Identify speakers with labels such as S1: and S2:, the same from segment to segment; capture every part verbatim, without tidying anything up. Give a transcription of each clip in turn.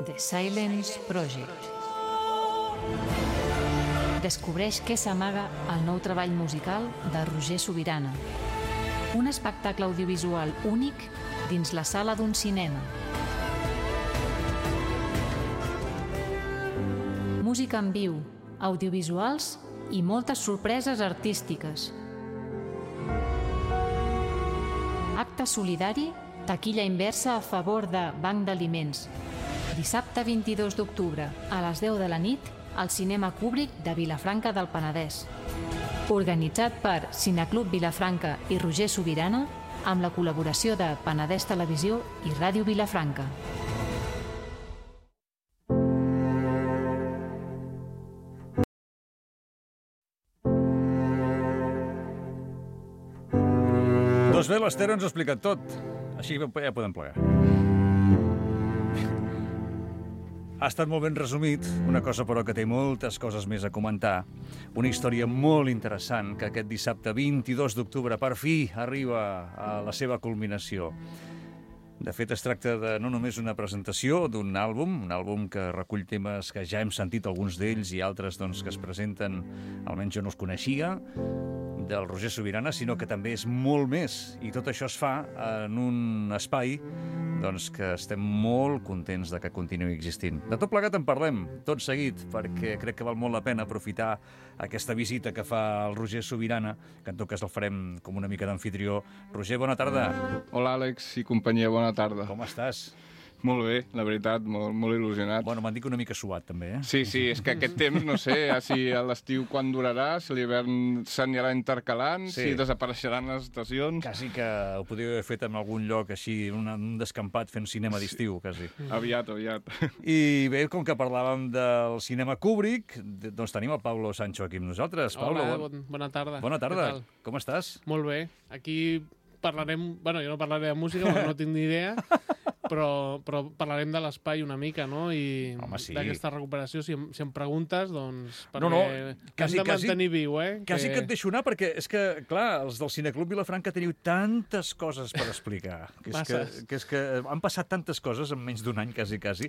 S1: The Silence Project. Descobreix què s'amaga al nou treball musical de Roger Subirana. Un espectacle audiovisual únic dins la sala d'un cinema. Música en viu, audiovisuals i moltes sorpreses artístiques. Acte solidari, taquilla inversa a favor de Banc d'Aliments. Dissabte vint-i-dos d'octubre, a les deu de la nit, al Cinema Kubrick de Vilafranca del Penedès. Organitzat per Cineclub Vilafranca i Roger Subirana, amb la col·laboració de Penedès Televisió i Ràdio Vilafranca.
S2: Doncs bé, l'Esther ens ho ha explicat tot. Així ja podem plegar. Ha estat molt ben resumit, una cosa però que té moltes coses més a comentar. Una història molt interessant que aquest dissabte vint-i-dos d'octubre per fi arriba a la seva culminació. De fet, es tracta de no només una presentació d'un àlbum, un àlbum que recull temes que ja hem sentit alguns d'ells i altres doncs, que es presenten, almenys jo no els coneixia, del Roger Subirana, sinó que també és molt més. I tot això es fa en un espai doncs, que estem molt contents de que continuï existint. De tot plegat en parlem, tot seguit, perquè crec que val molt la pena aprofitar aquesta visita que fa el Roger Subirana, que en tot cas el farem com una mica d'amfitrió. Roger, bona tarda.
S3: Hola, Àlex i companyia, bona tarda.
S2: Com estàs?
S3: Molt bé, la veritat, molt, molt il·lusionat.
S2: Bueno, m'han dit que una mica suat, també, eh?
S3: Sí, sí, és que aquest temps, no sé, si a l'estiu quan durarà, si l'hivern s'anirà intercalant, sí. Si desapareixeran les estacions...
S2: Quasi que ho podríeu haver fet en algun lloc així, un, un descampat fent cinema d'estiu, quasi.
S3: Aviat, aviat.
S2: I bé, com que parlàvem del cinema Kubrick, doncs tenim el Pablo Sancho aquí amb nosaltres.
S4: Hola,
S2: Pablo,
S4: bon, bona tarda.
S2: Bona tarda, com estàs?
S4: Molt bé, aquí parlarem... Bueno, jo no parlaré de música, perquè no tinc ni idea, però, però parlarem de l'espai una mica, no? I
S2: Home, sí.
S4: D'aquesta recuperació, si em, si em preguntes, doncs...
S2: No, no,
S4: quasi, hem de mantenir
S2: quasi,
S4: viu, eh?
S2: Quasi que... que et deixo anar, perquè és que, clar, els del Cineclub Vilafranca teniu tantes coses per explicar. Que és, que, que és que han passat tantes coses en menys d'un any, quasi, quasi,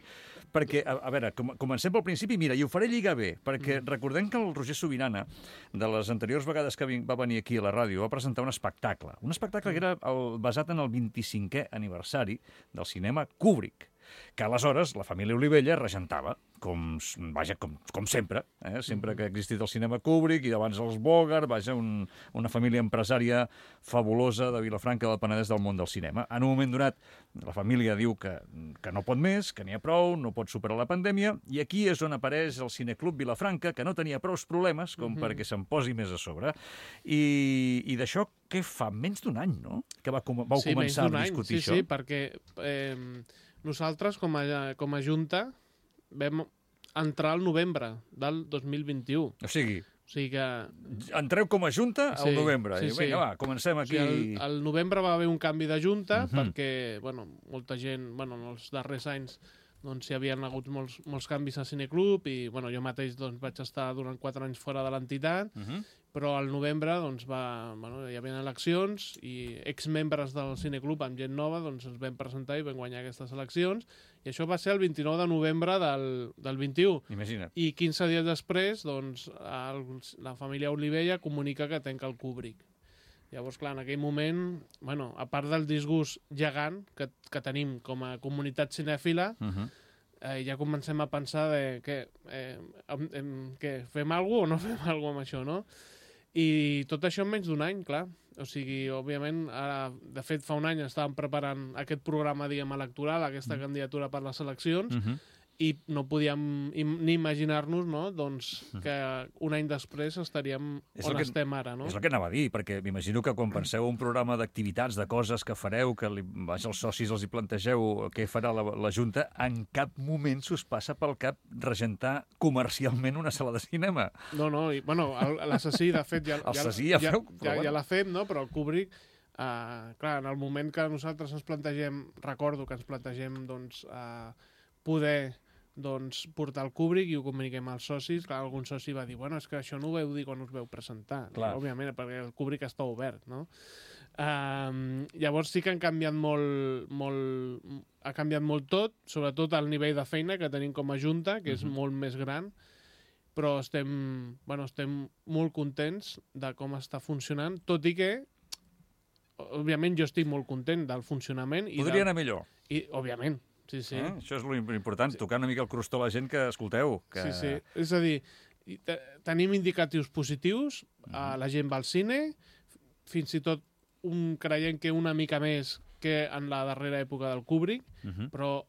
S2: perquè, a, a veure, com, comencem pel principi, mira, i ho faré lligar bé, perquè mm. recordem que el Roger Subirana, de les anteriors vegades que va venir aquí a la ràdio, va presentar un espectacle. Un espectacle que era el, basat en el vint-i-cinquè aniversari del cinema Kubrick, que aleshores la família Olivella regentava, com, vaja, com, com sempre, eh? Sempre que ha existit el cinema Kubrick i abans els Bogart, vaja, un, una família empresària fabulosa de Vilafranca del Penedès del món del cinema. En un moment donat, la família diu que, que no pot més, que n'hi ha prou, no pot superar la pandèmia, i aquí és on apareix el Cineclub Vilafranca, que no tenia prous problemes com mm-hmm. perquè se'n posi més a sobre. I, i d'això, què fa? Menys d'un any, no?, que va, vau
S4: sí,
S2: començar a discutir
S4: sí,
S2: això.
S4: Sí, sí, perquè eh, nosaltres, com a, com a Junta, vam entrar al novembre del dos mil vint-i-u.
S2: O sigui,
S4: o sigui que...
S2: entreu com a Junta al
S4: sí,
S2: novembre.
S4: Sí,
S2: I,
S4: sí.
S2: vinga, va, comencem aquí.
S4: O sigui, al, al novembre va haver un canvi de Junta,
S2: uh-huh.
S4: perquè, bueno, molta gent, bueno, en els darrers anys doncs hi havien hagut molts, molts canvis a Cineclub i, bueno, jo mateix doncs, vaig estar durant quatre anys fora de l'entitat, uh-huh. però al novembre doncs, va, bueno, hi havia eleccions i exmembres del Cineclub amb gent nova doncs, ens vam presentar i vam guanyar aquestes eleccions i això va ser el vint-i-nou de novembre del, del vint-i-u.
S2: Imagina't.
S4: I quinze dies després doncs, el, la família Olivella comunica que tanca el Kubrick. Llavors, clar, en aquell moment, bueno, a part del disgust gegant que, que tenim com a comunitat cinèfila, uh-huh. eh, ja comencem a pensar de que, eh, em, em, que fem alguna cosa o no fem alguna cosa amb això, no? I tot això en menys d'un any, clar. O sigui, òbviament, ara, de fet, fa un any estàvem preparant aquest programa, diguem, electoral, aquesta uh-huh. candidatura per les eleccions, uh-huh. i no podíem im ni imaginar-nos, no?, doncs, que un any després estaríem
S2: és
S4: on
S2: que,
S4: estem ara, no?
S2: És el que anava a dir, perquè m'imagino que quan penseu un programa d'activitats, de coses que fareu, que li, vaja, els socis els hi plantegeu què farà la, la Junta, en cap moment s'us passa pel cap regentar comercialment una sala de cinema.
S4: No, no, i, bueno, l'assassí, de fet, ja,
S2: ja,
S4: ja,
S2: ja,
S4: ja, ja l'ha fet, no?, però el Kubrick, uh, clar, en el moment que nosaltres ens plantegem, recordo que ens plantegem, doncs, uh, poder doncs, portar el Kubrick i ho comuniquem als socis. Clar, algun soci va dir, bueno, és que això no ho veu dir quan us veu presentar. Clar. Òbviament, perquè el Kubrick està obert, no? Um, llavors sí que han canviat molt, molt, ha canviat molt tot, sobretot el nivell de feina que tenim com a Junta, que és uh-huh. molt més gran, però estem, bueno, estem molt contents de com està funcionant, tot i que, òbviament, jo estic molt content del funcionament. I
S2: Podria
S4: del...
S2: anar millor.
S4: I, òbviament, sí, sí.
S2: Eh? Això és l'important, sí. Tocar una mica el crostó a la gent que escolteu. Que...
S4: Sí, sí. És a dir, tenim indicatius positius, uh-huh. la gent va al cine, fins i tot un, creiem que una mica més que en la darrera època del Kubrick, uh-huh. però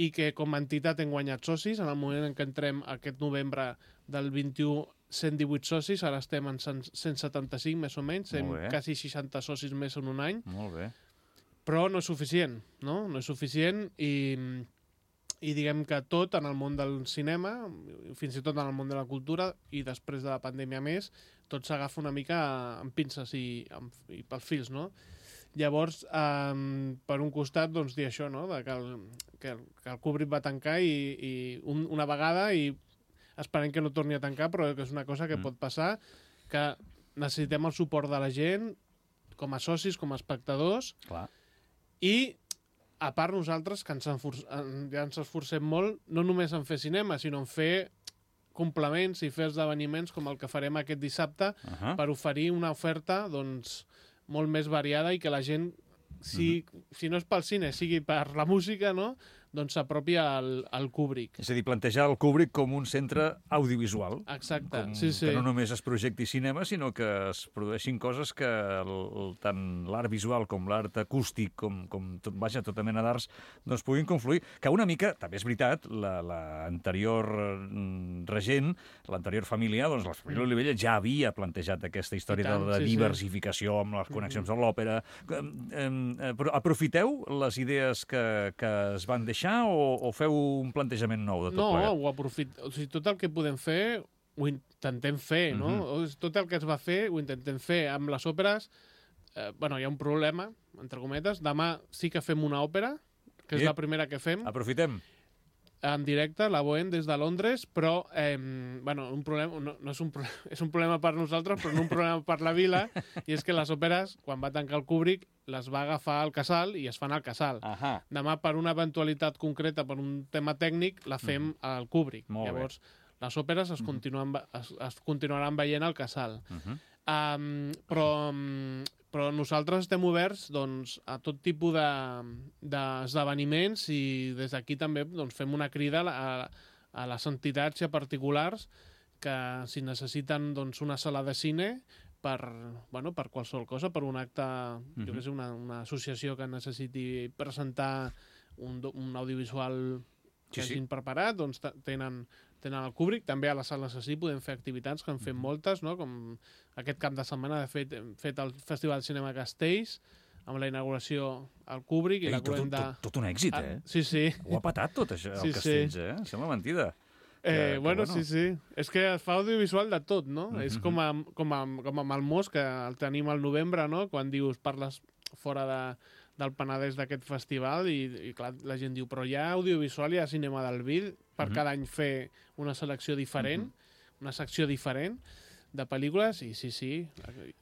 S4: i que com a entitat hem guanyat socis. En el moment en què entrem aquest novembre del vint-i-u, cent divuit socis, ara estem en cent setanta-cinc, més o menys, hem quasi seixanta socis més en un any.
S2: Molt bé.
S4: Però no és suficient, no? No és suficient i, i diguem que tot en el món del cinema, fins i tot en el món de la cultura, i després de la pandèmia més, tot s'agafa una mica amb pinces i, amb, i pels fils, no? Llavors, um, per un costat, doncs, dir això, no? De que, el, que, el, que el Kubrick va tancar i, i un, una vegada i esperem que no torni a tancar, però que és una cosa que mm. pot passar, que necessitem el suport de la gent, com a socis, com a espectadors,
S2: clar.
S4: I, a part, nosaltres, que ens, enfor ja ens esforcem molt, no només en fer cinema, sinó en fer complements i fer esdeveniments com el que farem aquest dissabte, uh-huh. per oferir una oferta, doncs, molt més variada i que la gent, si, uh-huh. si no és pel cine, sigui per la música, no?, doncs s'apropi al, al Kubrick.
S2: És a dir, plantejar el Kubrick com un centre audiovisual.
S4: Exacte,
S2: com,
S4: sí, sí.
S2: Que no només es projecti cinema, sinó que es produeixin coses que el, el, tant l'art visual com l'art acústic, com, com tot, vaja, tota mena d'arts, doncs puguin confluir. Que una mica, també és veritat, l'anterior la, regent, l'anterior família, doncs la família Olivella ja havia plantejat aquesta història tant, de la sí, diversificació sí. amb les connexions mm-hmm. amb l'òpera. Però aprofiteu les idees que, que es van deixar O, o feu un plantejament nou de tot
S4: no,
S2: plegat?
S4: No, ho aprofit... o sigui, tot el que podem fer ho intentem fer, no? Mm-hmm. Tot el que es va fer ho intentem fer. Amb les òperes, eh, bueno, hi ha un problema, entre cometes. Demà sí que fem una òpera, que és I... la primera que fem.
S2: Aprofitem.
S4: En directe, la Bohem des de Londres, però, eh, bueno, un problema, no, no és, un pro... és un problema per nosaltres, però no un problema per la vila, i és que les òperes, quan va tancar el Kubrick, les va agafar al Casal i es fan al Casal.
S2: Ahà.
S4: Demà, per una eventualitat concreta, per un tema tècnic, la fem mm. al Kubrick.
S2: Molt
S4: Llavors,
S2: bé.
S4: les òperes es, continuen, es, es continuaran veient al Casal.
S2: Uh-huh.
S4: um, però, però nosaltres estem oberts doncs, a tot tipus d'esdeveniments de, i des d'aquí també doncs, fem una crida a, a les entitats i a particulars que si necessiten doncs, una sala de cine per, bueno, per qualsevol cosa, per un acte, uh-huh. jo què sé, una, una associació que necessiti presentar un, un audiovisual que sí, hagin sí. preparat, doncs tenen, tenen el Kubrick. També a la sala assassí podem fer activitats, que en fem uh-huh. moltes, no? Com aquest cap de setmana de fet, hem fet el Festival de Cinema Castells, amb la inauguració al Kubrick.
S2: Ei,
S4: i la
S2: tot,
S4: de...
S2: tot, tot un èxit, eh?
S4: Ah, sí, sí.
S2: Ho ha patat tot, això, el
S4: sí,
S2: Castells,
S4: sí.
S2: eh? Sembla mentida.
S4: Eh,
S2: que,
S4: bueno,
S2: que,
S4: sí,
S2: bueno,
S4: sí. És que es fa audiovisual de tot, no? Mm-hmm. És com, a, com, a, com amb el Mos, que el tenim al novembre, no? Quan dius, parles fora de, del Penedès d'aquest festival i, i clar, la gent diu, però hi ha audiovisual, hi ha cinema del Vid, per mm-hmm. cada any fer una selecció diferent, mm-hmm. una secció diferent de pel·lícules, i sí, sí.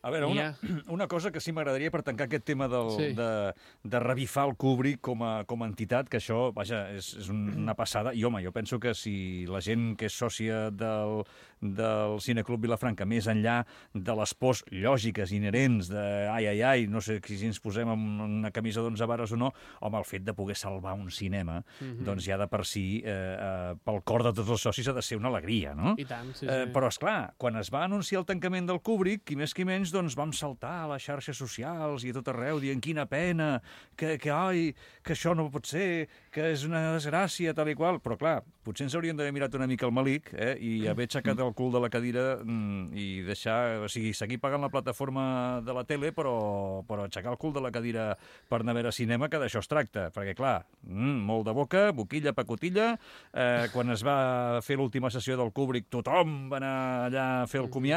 S2: A veure, una, una cosa que sí m'agradaria per tancar aquest tema del, sí. de, de revifar el Kubrick com a, com a entitat, que això, vaja, és, és una passada. I, home, jo penso que si la gent que és sòcia del, del Cineclub Vilafranca, més enllà de les pors lògiques, inherents, de ai, ai, ai, no sé si ens posem amb una camisa d'onze vares o no, home, el fet de poder salvar un cinema, mm-hmm. doncs ja de per si, eh, eh, pel cor de tots els socis ha de ser una alegria, no?
S4: I tant, sí, sí.
S2: Eh, però, esclar, quan es va anunciar el tancament del Kubrick, qui més qui menys, doncs vam saltar a les xarxes socials i a tot arreu dient quina pena, que, que, ai, que això no pot ser, que és una desgràcia, tal i qual. Però, clar, potser ens hauríem d'haver mirat una mica el malic eh, i haver aixecat el cul de la cadira mm, i deixar, o sigui, seguir pagant la plataforma de la tele, però, però aixecar el cul de la cadira per anar a veure cinema, que d'això es tracta. Perquè, clar, mm, molt de boca, boquilla, pacotilla, eh, quan es va fer l'última sessió del Kubrick, tothom va anar allà a fer el comiat,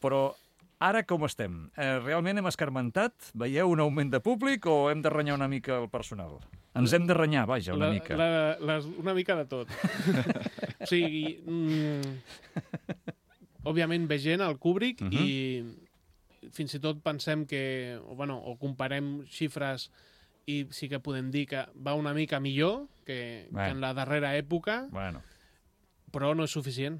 S2: però ara com estem? Eh, realment hem escarmentat? Veieu un augment de públic o hem de renyar una mica el personal? Ens hem de renyar, vaja, una
S4: la,
S2: mica.
S4: La, les, una mica de tot. O sigui, mm, òbviament ve gent al Kubrick uh-huh. i fins i tot pensem que, o, bueno, o comparem xifres i sí que podem dir que va una mica millor que, bueno. que en la darrera època,
S2: bueno.
S4: però no és suficient.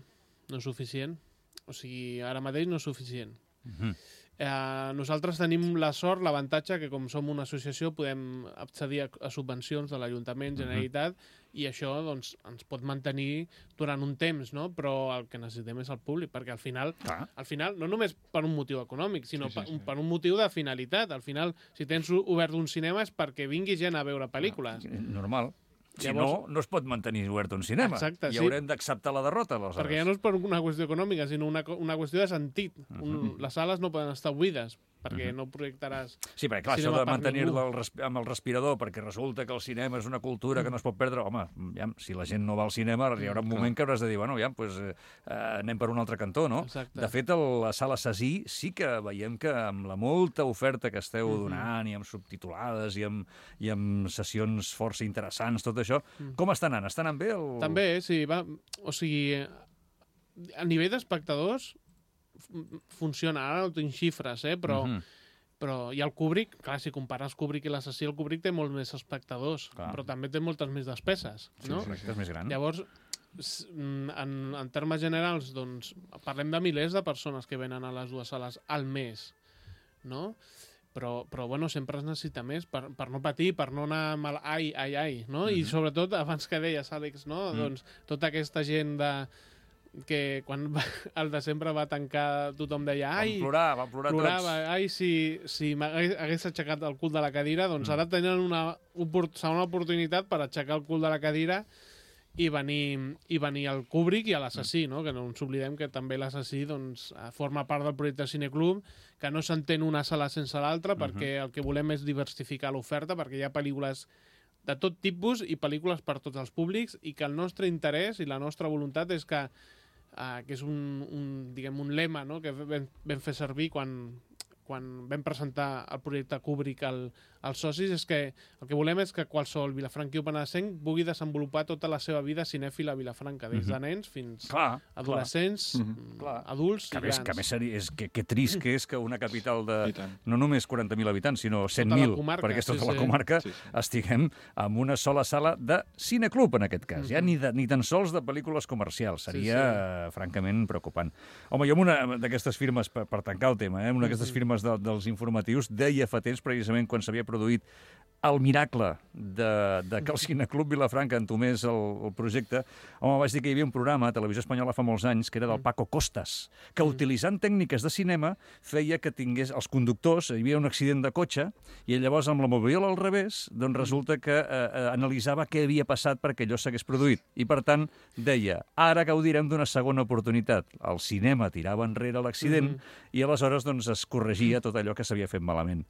S4: No és suficient. O sigui, ara mateix no és suficient.
S2: Uh-huh.
S4: Eh, nosaltres tenim la sort, l'avantatge, que com som una associació podem accedir a, a subvencions de l'Ajuntament, Generalitat, uh-huh. i això doncs, ens pot mantenir durant un temps, no? Però el que necessitem és el públic, perquè al final, ah. al final no només per un motiu econòmic, sinó sí, sí, sí. Per, per un motiu de finalitat. Al final, si tens obert un cinema és perquè vingui gent a veure pel·lícules.
S2: Normal. Si
S4: Llavors,
S2: no, no es pot mantenir obert un cinema.
S4: Exacte,
S2: I
S4: sí.
S2: haurem d'acceptar la derrota, aleshores.
S4: Perquè ja no és per una qüestió econòmica, sinó una, una qüestió de sentit. Uh-huh. Un, les sales no poden estar buides, perquè uh-huh. no projectaràs...
S2: Sí, perquè clar, això de mantenir-lo amb el respirador, perquè resulta que el cinema és una cultura que no es pot perdre... Home, ja, si la gent no va al cinema, hi haurà un moment que hauràs de dir, bueno, ja, pues, eh, anem per un altre cantó, no?
S4: Exacte.
S2: De fet, a la sala Sasí sí que veiem que amb la molta oferta que esteu uh-huh. donant, i amb subtitulades, i amb, i amb sessions força interessants, tot això, uh-huh. com està anant? Està anant bé? El...
S4: També, sí. Va, o sigui, a nivell d'espectadors funciona. Ara no tinc xifres, eh? Però, uh-huh. però i el Kubrick, clar, si compares Kubrick i l'Assassí, el Kubrick té molts més espectadors, clar. Però també té moltes més despeses, no?
S2: Sí, sí, és més gran.
S4: Llavors, en, en termes generals, doncs, parlem de milers de persones que venen a les dues sales al mes, no? Però, però bueno, sempre es necessita més per, per no patir, per no anar mal, ai, ai, ai, no? Mm-hmm. I sobretot, abans que deies, Àlex, no? Mm. Doncs tota aquesta gent de que quan va, el desembre va tancar tothom deia ai,
S2: van plorar, van plorar
S4: plorava,
S2: tots.
S4: Ai, si, si m'hagués aixecat el cul de la cadira, doncs mm. ara tenen una, una oportunitat per aixecar el cul de la cadira i venir, i venir al Kubrick i a l'Assassí, no? Que no ens oblidem que també l'Assassí doncs, forma part del projecte Cineclub, que no s'entén una sala sense l'altra, uh-huh. perquè el que volem és diversificar l'oferta, perquè hi ha pel·lícules de tot tipus i pel·lícules per tots els públics, i que el nostre interès i la nostra voluntat és que, uh, que és un, un, diguem, un lema, no? Que vam, vam fer servir quan, quan vam presentar el projecte Kubrick al, als socis, és que el que volem és que qualsevol vilafranquí o penedesenc pugui desenvolupar tota la seva vida cinèfila a Vilafranca, des de nens fins
S2: clar,
S4: adolescents,
S2: clar.
S4: adults
S2: que
S4: i grans.
S2: Que a més seria, és, que, que trist que és que una capital de no només quaranta mil habitants, sinó cent mil, perquè és tota
S4: sí,
S2: la comarca, sí, sí. estiguem en una sola sala de cineclub, en aquest cas. Mm-hmm. Ja ni, de, ni tan sols de pel·lícules comercials. Seria, sí, sí. francament, preocupant. Home, jo amb una d'aquestes firmes, per, per tancar el tema, eh, una d'aquestes mm-hmm. firmes de, dels informatius, deia fa temps, precisament, quan s'havia produït el miracle de, de que el Cineclub Vilafranca entomés el, el projecte, home, vaig dir que hi havia un programa a Televisió Espanyola fa molts anys, que era del Paco Costas, que utilitzant tècniques de cinema feia que tingués els conductors, hi havia un accident de cotxe, i llavors amb la moviola al revés, doncs resulta que eh, eh, analitzava què havia passat perquè allò s'hagués produït. I per tant, deia, ara gaudirem d'una segona oportunitat. El cinema tirava enrere l'accident mm-hmm. i aleshores doncs, es corregia tot allò que s'havia fet malament.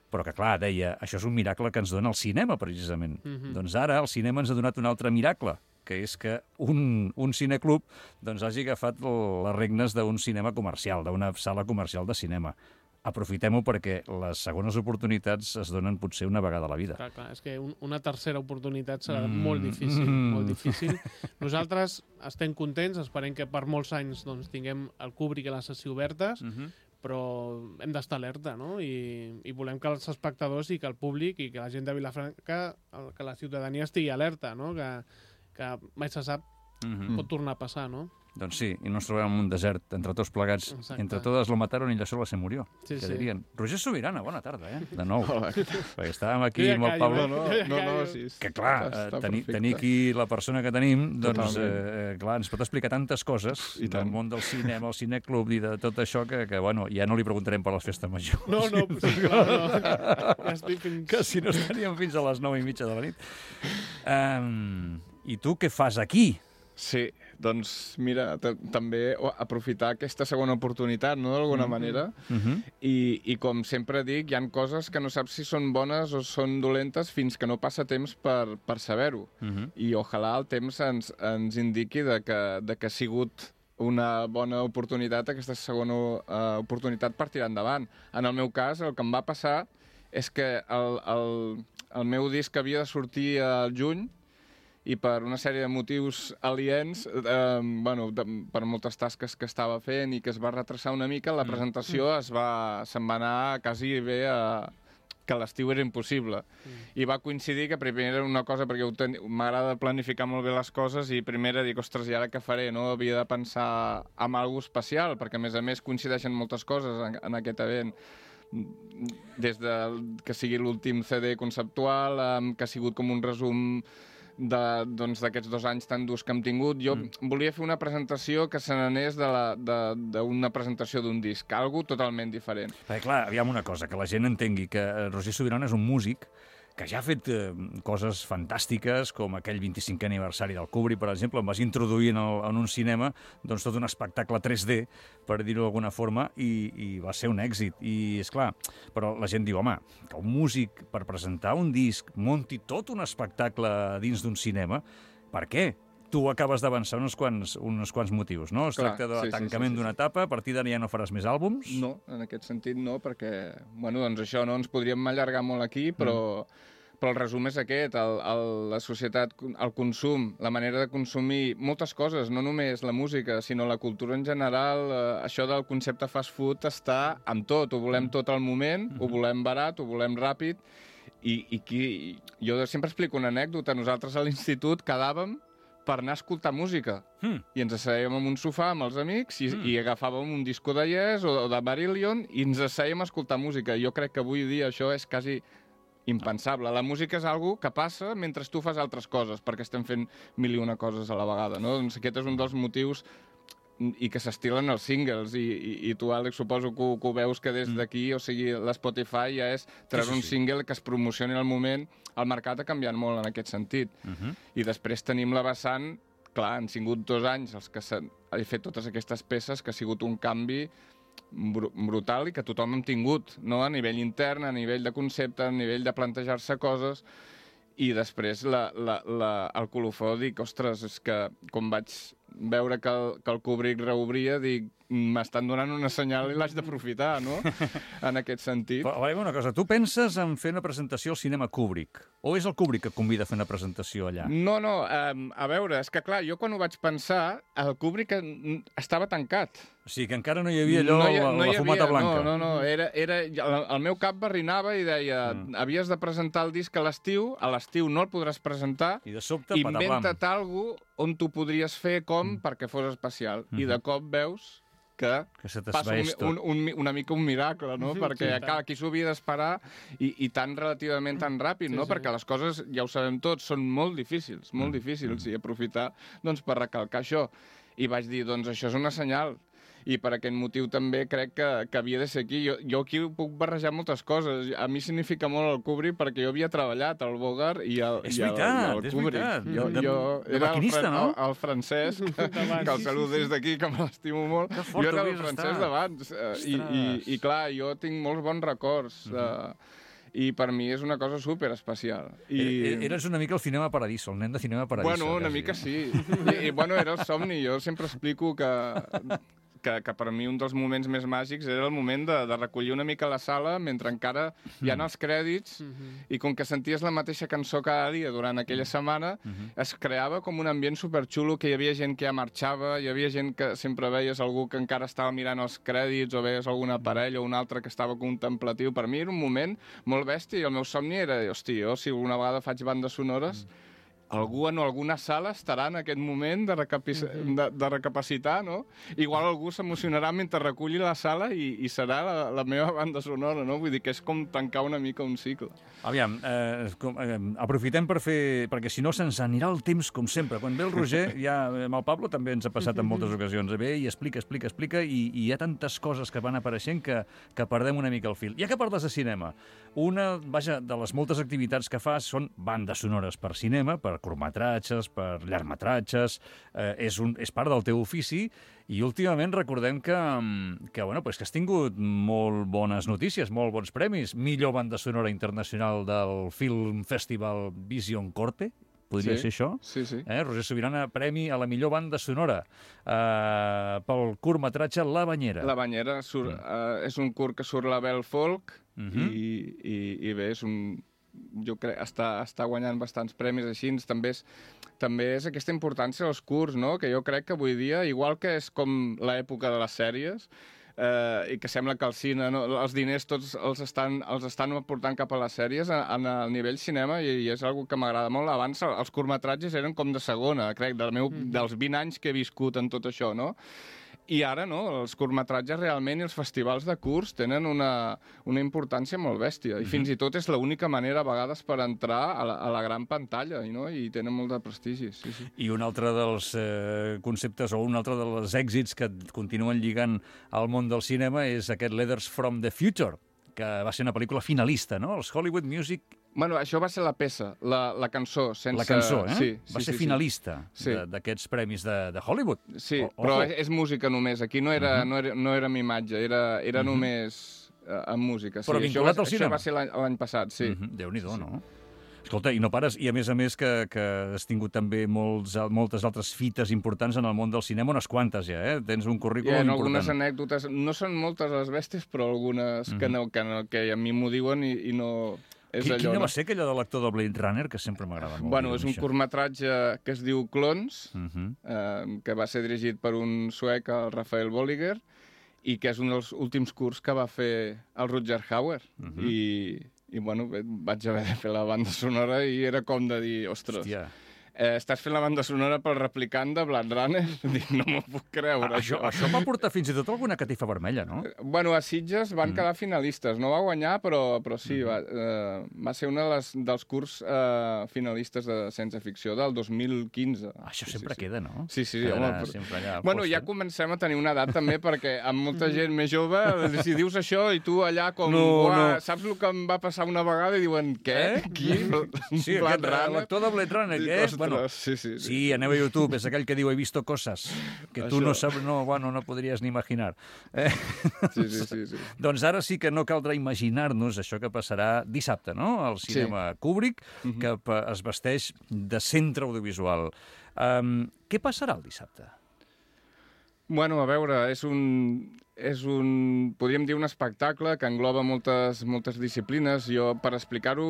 S2: Però que, clar, deia, això és un miracle que ens dona el cinema, precisament. Mm-hmm. Doncs ara el cinema ens ha donat un altre miracle, que és que un, un cineclub doncs, hagi agafat les regnes d'un cinema comercial, d'una sala comercial de cinema. Aprofitem-ho perquè les segones oportunitats es donen potser una vegada a la vida.
S4: Clar, clar, és que un, una tercera oportunitat serà mm. molt difícil, mm. molt difícil. Nosaltres estem contents, esperem que per molts anys doncs, tinguem el Kubrick i l'Assassí obertes, mm-hmm. però hem d'estar alerta, no? I, i volem que els espectadors i que el públic i que la gent de Vilafranca, que la ciutadania estigui alerta, no? Que, que mai se sap, mm-hmm. pot tornar a passar, no?
S2: Doncs sí, i no ens trobem en un desert, entre tots plegats. Exacte. Entre totes lo mataron i ella sola se murió, sí, que sí. dirien. Roger Sobirana, bona tarda, eh? De nou. Hola. Perquè estàvem aquí
S4: ja
S2: amb el Pablo.
S4: No,
S3: no, no, sí.
S2: Que clar, eh, tenir, tenir aquí la persona que tenim, doncs, eh, clar, ens pot explicar tantes coses I del món del cinema, el cineclub i de tot això que, que, bueno, ja no li preguntarem per les festes majors.
S4: No, no, sí, clar, no. Ja estic fins...
S2: Que si no estaríem fins a les nou i mitja de la nit. Um, I tu què fas aquí?
S3: Sí, doncs mira, també aprofitar aquesta segona oportunitat, no?, d'alguna mm-hmm. manera, mm-hmm. I, i com sempre dic, hi han coses que no saps si són bones o són dolentes fins que no passa temps per, per saber-ho. Mm-hmm. I ojalà el temps ens, ens indiqui de que, de que ha sigut una bona oportunitat, aquesta segona uh, oportunitat per tirar endavant. En el meu cas, el que em va passar és que el, el, el meu disc havia de sortir al juny, i per una sèrie de motius aliens, eh, bueno, de, per moltes tasques que estava fent i que es va retrasar una mica, la presentació es va, se'n va anar quasi bé a, que l'estiu era impossible. Mm. I va coincidir que primer era una cosa, perquè ten... m'agrada planificar molt bé les coses, i primer era dir, ostres, i ara què faré? No? Havia de pensar en alguna cosa especial, perquè a més a més coincideixen moltes coses en, en aquest event. Des de que sigui l'últim C D conceptual, um, que ha sigut com un resum d'aquests doncs, dos anys tan durs que hem tingut. Jo mm. volia fer una presentació que se n'anés d'una presentació d'un disc, algo totalment diferent.
S2: Perquè, clar, aviam una cosa, que la gent entengui que Roger Subirana és un músic que ja ha fet eh, coses fantàstiques, com aquell vint-i-cinquè aniversari del Kubrick, per exemple, em vas introduir en, el, en un cinema doncs, tot un espectacle tres D, per dir-ho d'alguna forma, i, i va ser un èxit. I, és clar, però la gent diu, home, que un músic, per presentar un disc, munti tot un espectacle dins d'un cinema, per què? Tu acabes d'avançar uns quants, uns quants motius, no? Es
S3: Clar,
S2: tracta de
S3: sí,
S2: tancament sí, sí,
S3: sí,
S2: d'una
S3: sí.
S2: etapa, a partir d'ara ja no faràs més àlbums?
S3: No, en aquest sentit no, perquè, bueno, doncs això, no ens podríem allargar molt aquí, però, mm. però el resum és aquest, el, el, la societat, el consum, la manera de consumir moltes coses, no només la música, sinó la cultura en general, eh, això del concepte fast food està amb tot, ho volem tot al moment, ho volem barat, ho volem ràpid, i, i qui, jo sempre explico una anècdota, nosaltres a l'institut quedàvem per anar a escoltar música. Mm. I ens assèiem en un sofà amb els amics i, mm. i agafàvem un disco de Yes o de Marillion i ens assèiem a escoltar música. Jo crec que avui dia això és quasi impensable. La música és algo que passa mentre tu fas altres coses, perquè estem fent mil i una coses a la vegada, no? Doncs aquest és un dels motius i que s'estilen els singles, i, i, i tu, Àlex, suposo que ho, que ho veus que des d'aquí, o sigui, l'Spotify ja és treure sí, sí, sí. un single que es promocioni al moment. El mercat ha canviat molt en aquest sentit. Uh-huh. I després tenim la vessant, clar, han sigut dos anys els que s'han fet totes aquestes peces, que ha sigut un canvi br brutal i que tothom hem tingut, no? A nivell intern, a nivell de concepte, a nivell de plantejar-se coses. I després la, la, la, el colofó, dic, ostres, és que com vaig veure que el, que el Kubrick reobria, dic, m'estan donant una senyal i l'haig d'aprofitar, no? En aquest sentit.
S2: Però, a veure, una cosa, tu penses en fer una presentació al cinema Kubrick? O és el Kubrick que convida a fer una presentació allà?
S3: No, no, um, a veure, és que clar, jo quan ho vaig pensar, el Kubrick estava tancat.
S2: O sigui, que encara no hi havia allò, no hi, no la, la fumata havia, blanca.
S3: No, no, no, era, era, el meu cap barrinava i deia, mm. havies de presentar el disc a l'estiu, a l'estiu no el podràs presentar,
S2: i de sobte,
S3: inventa't alguna cosa on tu podries fer com mm. perquè fos especial. Mm -hmm. I de cop veus que,
S2: que se
S3: passa un, un, un, una mica un miracle, no? Mm-hmm. Perquè sí, clar, aquí s'ho havia d'esperar i, i tan relativament tan ràpid, sí, no? Sí. Perquè les coses, ja ho sabem tots, són molt difícils, molt mm. difícils, i aprofitar doncs, per recalcar això. I vaig dir, doncs això és una senyal. I per aquest motiu també crec que, que havia de ser aquí. Jo, jo aquí puc barrejar moltes coses. A mi significa molt el Kubrick perquè jo havia treballat al Bogart i al,
S2: és
S3: i al,
S2: veritat,
S3: i al
S2: és
S3: Kubrick.
S2: veritat.
S3: Jo,
S2: de,
S3: jo
S2: de
S3: era
S2: maquinista,
S3: el,
S2: no?
S3: El, el francès, que el saludo des d'aquí, que me l'estimo molt.
S2: Que fort
S3: jo era el
S2: hauries
S3: francès
S2: d'estar.
S3: d'abans. I, i, I clar, jo tinc molts bons records. Uh -huh. uh, I per mi és una cosa super especial. I...
S2: Eres una mica el Cinema Paradiso, el nen de Cinema Paradiso.
S3: Bueno, una
S2: quasi.
S3: mica sí. I, I bueno, era el somni. Jo sempre explico que... Que, que per mi un dels moments més màgics era el moment de, de recollir una mica la sala mentre encara hi ha els crèdits, mm-hmm. i com que senties la mateixa cançó cada dia durant aquella setmana, mm-hmm. es creava com un ambient superxulo, que hi havia gent que ja marxava, hi havia gent que sempre veies algú que encara estava mirant els crèdits, o veies alguna parella o un altre que estava contemplatiu. Per mi era un moment molt bèstia, i el meu somni era, hosti, jo si alguna vegada faig bandes sonores, mm. algú en alguna sala estarà en aquest moment de, mm-hmm. de, de recapacitar, no? Igual algú s'emocionarà mentre reculli la sala i, i serà la, la meva banda sonora, no? Vull dir que és com tancar una mica un cicle.
S2: Aviam, eh, com, eh, aprofitem per fer... Perquè si no se'ns anirà el temps, com sempre. Quan ve el Roger, ja amb el Pablo també ens ha passat en moltes ocasions. Ve i explica, explica, explica, i, i hi ha tantes coses que van apareixent que, que perdem una mica el fil. Ja que parles de cinema, una, vaja, de les moltes activitats que fas són bandes sonores per cinema, per curtmetratges, per llargmetratges, eh, és, un, és part del teu ofici, i últimament recordem que, que, bueno, pues que has tingut molt bones notícies, molt bons premis. Millor banda sonora internacional del Film Festival Vision Corte, podria
S3: sí,
S2: ser això?
S3: Sí, sí.
S2: Eh? Roger Subirana, premi a la millor banda sonora eh, pel curtmetratge La Banyera.
S3: La Banyera surt, mm. uh, és un curt que surt la Bell Folk,
S2: mm-hmm.
S3: i, i, i bé, és un... jo crec, està, està guanyant bastants premis així. També és, també és aquesta importància dels curts, no? Que jo crec que avui dia, igual que és com l'època de les sèries, eh, i que sembla que el cine, no, els diners tots els estan, els estan aportant cap a les sèries a, a, a nivell cinema i, i és una que m'agrada molt. Abans els curtmetratges eren com de segona, crec, del meu, mm. dels vint anys que he viscut en tot això, no? I ara, no, els curtmetratges realment i els festivals de curts tenen una, una importància molt bèstia. I mm-hmm. fins i tot és l'única manera, a vegades, per entrar a la, a la gran pantalla, i, no? I tenen molt de prestigi. Sí, sí.
S2: I un altre dels eh, conceptes, o un altre dels èxits que continuen lligant al món del cinema és aquest Letters from the Future, que va ser una pel·lícula finalista, no? Els Hollywood Music...
S3: Bueno, això va ser la peça, la, la cançó. Sense...
S2: La cançó, eh?
S3: Sí,
S2: va
S3: sí,
S2: ser
S3: sí,
S2: finalista
S3: sí.
S2: d'aquests premis de, de Hollywood.
S3: Sí,
S2: o,
S3: però és, és música només. Aquí no era, uh-huh. no era, no era amb imatge, era, era uh-huh. només uh, amb música. Sí,
S2: però vinculat
S3: va,
S2: al cinema?
S3: Això va ser l'any passat, sí.
S2: Uh-huh. Déu-n'hi-do,
S3: sí.
S2: no? Escolta, i no pares, i a més a més que, que has tingut també molts, moltes altres fites importants en el món del cinema, unes quantes ja, eh? Tens un currículum
S3: yeah,
S2: important.
S3: Algunes anècdotes, no són moltes les bèsties, però algunes uh-huh. que, no, que, no, que a mi m'ho diuen i, i no... És
S2: Qui,
S3: allò,
S2: quina
S3: no?
S2: va ser aquella de l'actor de Blade Runner, que sempre m'agrada molt?
S3: Bueno, és un curtmetratge que es diu Clones,
S2: uh-huh.
S3: eh, que va ser dirigit per un suec, el Rafael Bolliger, i que és un dels últims curts que va fer el Rutger Hauer. Uh-huh. I, i bueno, vaig haver de fer la banda sonora i era com de dir, ostres... Hòstia. Eh, estàs fent la banda sonora pel replicant de Blade Runner? Dic, no m'ho puc creure.
S2: Ah, això, això va portar fins i tot alguna catifa vermella, no?
S3: Bueno, a Sitges van mm. quedar finalistes. No va guanyar, però, però sí, mm. va, eh, va ser un de dels curts eh, finalistes de ciència-ficció del dos mil quinze.
S2: Ah, això
S3: sí,
S2: sempre
S3: sí,
S2: queda, no?
S3: Sí, sí.
S2: Quedarà
S3: home, però...
S2: sempre allà
S3: bueno,
S2: posta.
S3: Ja comencem a tenir una edat també, perquè amb molta gent més jove, si dius això i tu allà com...
S2: No, no.
S3: Saps el que em va passar una vegada i diuen, què?
S2: Eh?
S3: Qui?
S2: Sí, aquest, l'actor de Blade Runner, què és? Bueno,
S3: sí, sí, sí.
S2: Sí, aneu a YouTube, és aquell que diu he visto cosas que tu
S3: Això.
S2: no saps, no, bueno, no podries ni imaginar. Eh?
S3: Sí, sí, sí, sí.
S2: Doncs ara sí que no caldrà imaginar-nos això que passarà dissabte, no?, al cinema sí. Kubrick, uh-huh. que es vesteix de centre audiovisual. Um, què passarà el dissabte?
S3: Bueno, a veure, és un... És un, podríem dir, un espectacle que engloba moltes, moltes disciplines. Jo, per explicar-ho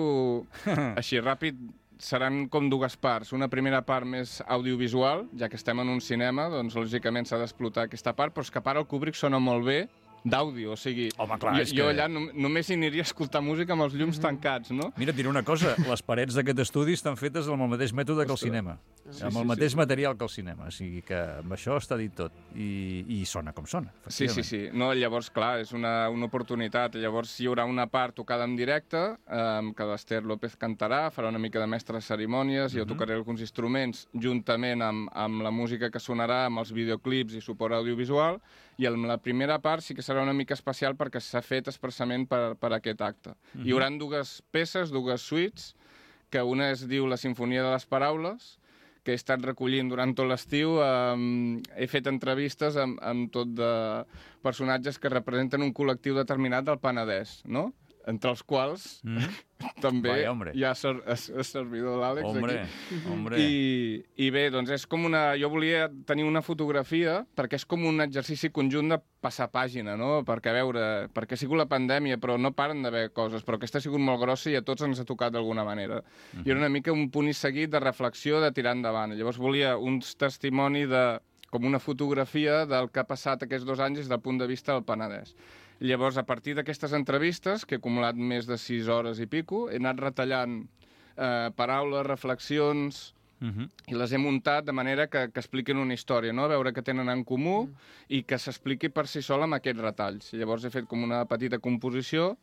S3: així ràpid, seran com dues parts. Una primera part més audiovisual, ja que estem en un cinema, doncs lògicament s'ha d'explotar aquesta part, però és que a part el Kubrick sona molt bé d'àudio, o sigui,
S2: home, clar,
S3: jo,
S2: és
S3: jo
S2: que...
S3: allà no, només hi aniria a escoltar música amb els llums mm. tancats, no?
S2: Mira, et diré una cosa, les parets d'aquest estudi estan fetes amb el mateix mètode que el cinema, sí, amb el
S3: sí,
S2: mateix
S3: sí.
S2: material que el cinema, o sigui que amb això està dit tot, i, i sona com sona,
S3: Sí, sí, sí, no, llavors, clar, és una, una oportunitat, llavors hi haurà una part tocada en directe, eh, que l'Ester López cantarà, farà una mica de mestre de cerimònies, uh-huh. jo tocaré alguns instruments, juntament amb, amb la música que sonarà, amb els videoclips i suport audiovisual, i en la primera part sí que serà una mica especial perquè s'ha fet expressament per, per aquest acte. Uh-huh. Hi haurà dues peces, dues suites, que una es diu La Simfonia de les Paraules, que he estat recollint durant tot l'estiu. Um, he fet entrevistes amb, amb tot de personatges que representen un col·lectiu determinat del Penedès, no? Entre els quals mm. també
S2: Vai,
S3: hi ha ser, el servidor l'Àlex
S2: hombre,
S3: aquí.
S2: Hombre.
S3: I, I bé, doncs és com una... Jo volia tenir una fotografia perquè és com un exercici conjunt de passar pàgina, no? Perquè, a veure, perquè ha sigut la pandèmia, però no paren d'haver coses, però aquesta ha sigut molt grossa i a tots ens ha tocat d'alguna manera. Mm-hmm. I era una mica un punt i seguit de reflexió, de tirar endavant. Llavors volia un testimoni de... com una fotografia del que ha passat aquests dos anys des del punt de vista del Penedès. Llavors, a partir d'aquestes entrevistes, que he acumulat més de sis hores i pico, he anat retallant eh, paraules, reflexions, uh-huh. i les he muntat de manera que, que expliquin una història, no? A veure què tenen en comú uh-huh. i que s'expliqui per si sola amb aquests retalls. Llavors he fet com una petita composició.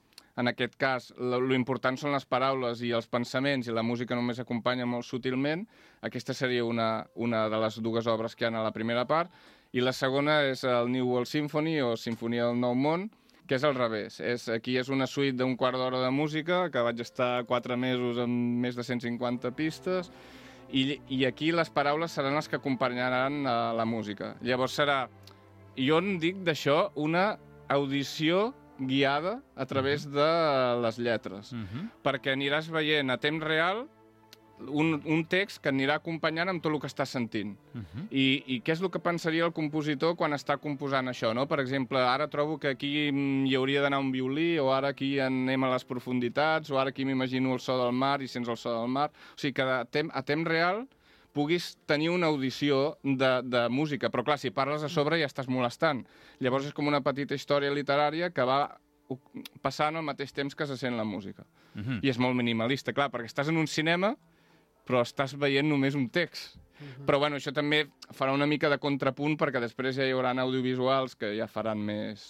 S3: En aquest cas, l'important són les paraules i els pensaments, i la música només acompanya molt sutilment. Aquesta seria una, una de les dues obres que hi ha a la primera part. I la segona és el New World Symphony, o Sinfonia del Nou Món, que és al revés. És, aquí és una suite d'un quart d'hora de música, que vaig estar quatre mesos amb més de cent cinquanta pistes, i, i aquí les paraules seran les que acompanyaran a la música. Llavors serà, jo en dic d'això, una audició guiada a través de les lletres, uh-huh. perquè aniràs veient a temps real un, un text que anirà acompanyant amb tot el que estàs sentint. Uh-huh. I, I què és el que pensaria el compositor quan està composant això, no? Per exemple, ara trobo que aquí hi hauria d'anar un violí, o ara aquí anem a les profunditats, o ara aquí m'imagino el so del mar i sents el so del mar. O sigui que a temps, a temps real puguis tenir una audició de, de música. Però clar, si parles a sobre ja estàs molestant. Llavors és com una petita història literària que va passant al mateix temps que se sent la música. Uh-huh. I és molt minimalista, clar, perquè estàs en un cinema però estàs veient només un text. Uh-huh. Però bueno, això també farà una mica de contrapunt perquè després ja hi haurà audiovisuals que ja faran més,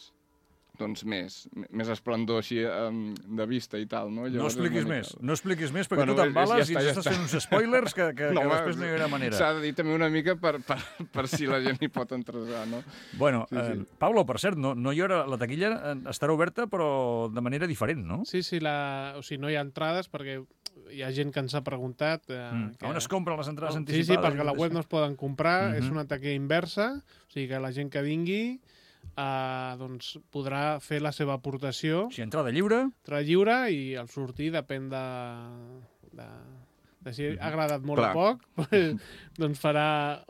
S3: doncs més, més esplendor així um, de vista i tal, no?
S2: Llavors, no expliquis més, mica... no expliquis més perquè bueno, tu t'embales ja està, i ens ja estàs fent uns spoilers que, que, no, que després no hi haurà manera.
S3: S'ha de dir també una mica per, per, per si la gent hi pot entresar, no?
S2: Bueno,
S3: sí,
S2: eh,
S3: sí.
S2: Pablo, per cert, no, no hi haurà, la taquilla estarà oberta però de manera diferent, no?
S4: Sí, sí, la, o sigui, no hi ha entrades perquè hi ha gent que ens ha preguntat... Eh,
S2: mm. que... On es compren les entrades
S4: oh,
S2: anticipades?
S4: Sí, sí, perquè a la web no es poden comprar,
S2: mm-hmm.
S4: és una taquilla inversa, o sigui que la gent que vingui eh, doncs podrà fer la seva aportació.
S2: O sigui, entrada lliure?
S4: Entrada lliure i al sortir depèn de... de... de si ha agradat molt
S3: Clar.
S4: o poc, doncs farà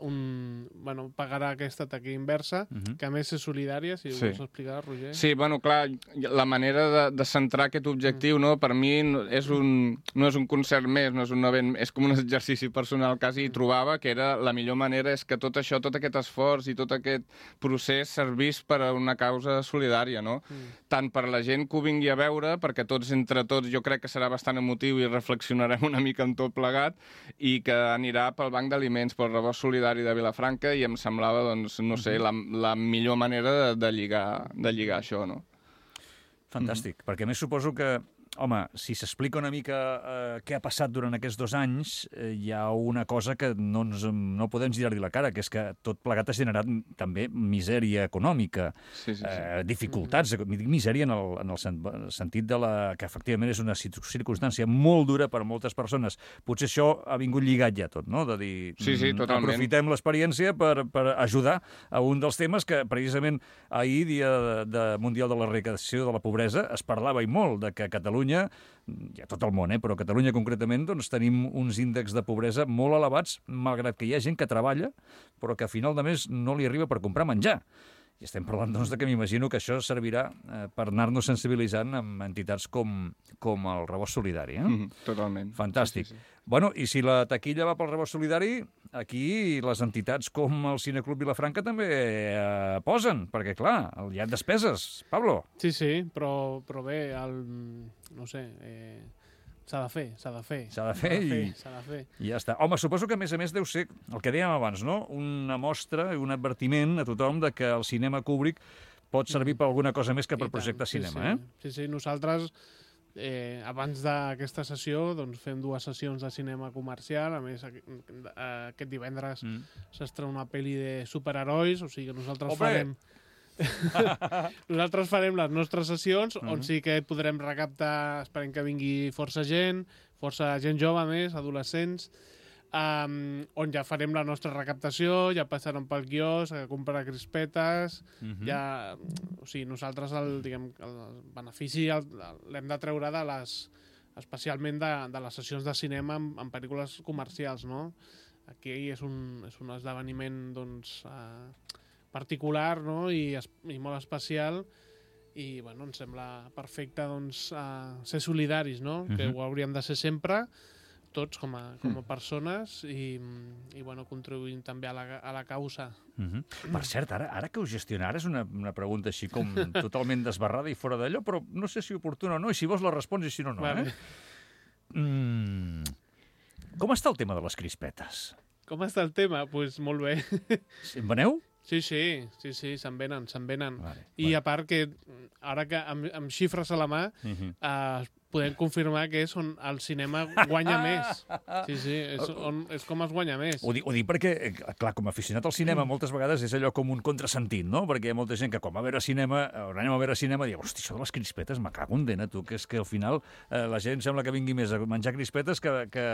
S4: un... Bueno, pagarà aquesta taquilla inversa, uh-huh. que a més és solidària, si sí. vols explicar, Roger.
S3: Sí, bueno, clar, la manera de, de centrar aquest objectiu, no, per mi és un, no és un concert més, no és un event, és com un exercici personal quasi, i trobava que era la millor manera és que tot això, tot aquest esforç i tot aquest procés servís per a una causa solidària, no? Mm. Tant per la gent que ho vingui a veure, perquè tots entre tots jo crec que serà bastant emotiu i reflexionarem una mica en tot plegat, i que anirà pel Banc d'Aliments, pel Rebost Solidari de Vilafranca, i em semblava, doncs, no sé, la, la millor manera de, de, lligar, de lligar això, no?
S2: Fantàstic, mm-hmm. perquè a més suposo que, home, si s'explica una mica eh, què ha passat durant aquests dos anys, eh, hi ha una cosa que no, ens, no podem girar-li la cara, que és que tot plegat ha generat també misèria econòmica,
S3: sí, sí, sí.
S2: Eh, dificultats, dic misèria en el, en el sentit de la, que efectivament és una circumstància molt dura per a moltes persones. Potser això ha vingut lligat ja tot, no? De dir,
S3: sí, sí, totalment.
S2: Aprofitem l'experiència per, per ajudar a un dels temes que precisament ahir, Dia de, de Mundial de l'Erradicació de la Pobresa, es parlava i molt de que Catalunya hi ha tot el món, eh? però a Catalunya concretament doncs, tenim uns índexs de pobresa molt elevats, malgrat que hi ha gent que treballa, però que a final de mes no li arriba per comprar menjar. I estem parlant doncs, de que m'imagino que això servirà eh, per anar-nos sensibilitzant amb entitats com, com el Rebost Solidari. Eh?
S3: Mm, totalment.
S2: Fantàstic.
S3: Sí, sí, sí.
S2: Bueno, i si la taquilla va pel Rebost Solidari, aquí les entitats com el Cineclub Vilafranca també eh, posen, perquè clar, hi ha despeses. Pablo?
S4: Sí, sí, però, però bé, el, no sé... Eh... S'ha de fer, s'ha de fer.
S2: S'ha de fer, de fer i...
S4: S'ha de fer.
S2: I ja està. Home, suposo que a més a més deu ser el que dèiem abans, no? Una mostra, un advertiment a tothom de que el cinema Kubrick pot servir per alguna cosa més que per projectar
S4: sí,
S2: cinema,
S4: sí.
S2: eh?
S4: Sí, sí, nosaltres eh, abans d'aquesta sessió doncs, fem dues sessions de cinema comercial, a més aquest divendres mm. s'estrena una pel·li de superherois, o sigui que nosaltres Ope! farem... Nosaltres farem les nostres sessions uh-huh. on sí que podrem recaptar, esperem que vingui força gent, força gent jove més, adolescents, um, on ja farem la nostra recaptació, ja passaran pel quiosc a comprar crispetes, uh-huh. ja, o sigui, nosaltres el, diguem, el benefici l'hem de treure de les, especialment de, de les sessions de cinema en, en pel·lícules comercials, no? Aquí és un, és un esdeveniment, doncs... Uh, particular, no? I, i molt especial i bueno, ens sembla perfecte doncs, uh, ser solidaris, no? Uh-huh. Que ho hauríem de ser sempre tots com a, com a persones i, i bueno, contribuint també a la, a la causa.
S2: Uh-huh. Per cert, ara, ara que ho gestiona, ara és una, una pregunta així com totalment desbarrada i fora d'allò, però no sé si oportuna o no, i si vols la respons i si no, no. Vale. Eh? Mm. Com està el tema de les crispetes?
S4: Com està el tema? Doncs pues molt bé.
S2: En veneu?
S4: Sí, sí, sí, sí, se'n venen, se'n venen.
S2: Vale,
S4: I
S2: vale.
S4: a part que, ara que amb, amb xifres a la mà, uh-huh. eh, podem confirmar que és on el cinema guanya més. Sí, sí, és, on, és com es guanya més.
S2: Ho dic, ho dic perquè, clar, com a aficionat al cinema, moltes vegades és allò com un contrasentit, no? Perquè hi ha molta gent que, com a veure cinema, o anem a veure cinema, diu, hosti, això de les crispetes, me cago en dena, tu, que és que al final eh, la gent sembla que vingui més a menjar crispetes que, que,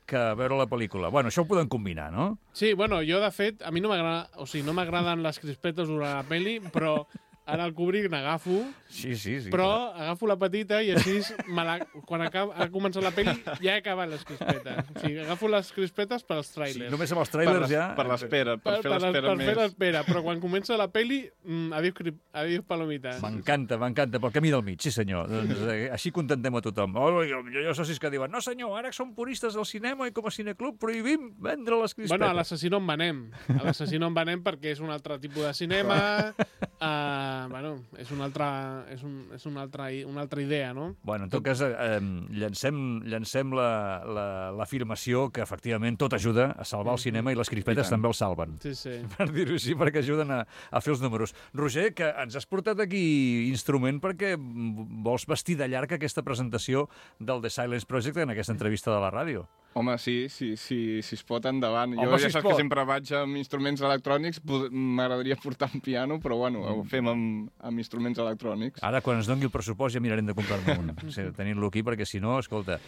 S2: que a veure la pel·lícula. Bueno, això ho podem combinar, no?
S4: Sí, bueno, jo, de fet, a mi no m'agrada, o sigui, no m'agraden les crispetes durant la pel·li, però ara el Kubrick n'agafo,
S2: sí, sí, sí,
S4: però
S2: clar.
S4: agafo la petita i així, me la, quan acaba, ha començat la pel·li, ja he acabat les crispetes. O sigui, agafo les crispetes per als trailers.
S2: Sí, només amb els trailers
S3: per
S2: ja...
S3: Per l'espera, per, per fer l'espera
S4: per
S3: més.
S4: Per fer l'espera, però quan comença la pel·li, mm, adiós, adiós palomites.
S2: M'encanta, m'encanta, pel camí del mig, sí senyor. Doncs, eh, així contentem a tothom. Oh, jo, jo, jo socis que diuen, no senyor, ara som puristes del cinema i com a cineclub prohibim vendre les crispetes.
S4: Bueno, a l'assassí no en venem. A l'assassí no en venem perquè és un altre tipus de cinema, uh, bueno, és una altra, és un, és una altra, una altra idea, no?
S2: Bueno, en tot cas, eh, llancem, llancem l'afirmació la, la, que efectivament tot ajuda a salvar el cinema i les crispetes també el salven.
S4: Sí, sí.
S2: Per dir-ho així, perquè ajuden a, a fer els números. Roger, que ens has portat aquí instrument perquè vols vestir de llarg aquesta presentació del The Silence Project en aquesta entrevista de la ràdio.
S3: Home, sí, sí, sí, si es pot, endavant.
S2: Home,
S3: jo
S2: si
S3: ja saps
S2: pot.
S3: que sempre vaig amb instruments electrònics, m'agradaria portar un piano, però bueno, ho fem amb, amb instruments electrònics.
S2: Ara, quan ens doni el pressupost, ja mirarem de comprar-ne un. Sí, tenint-lo aquí, perquè si no, escolta,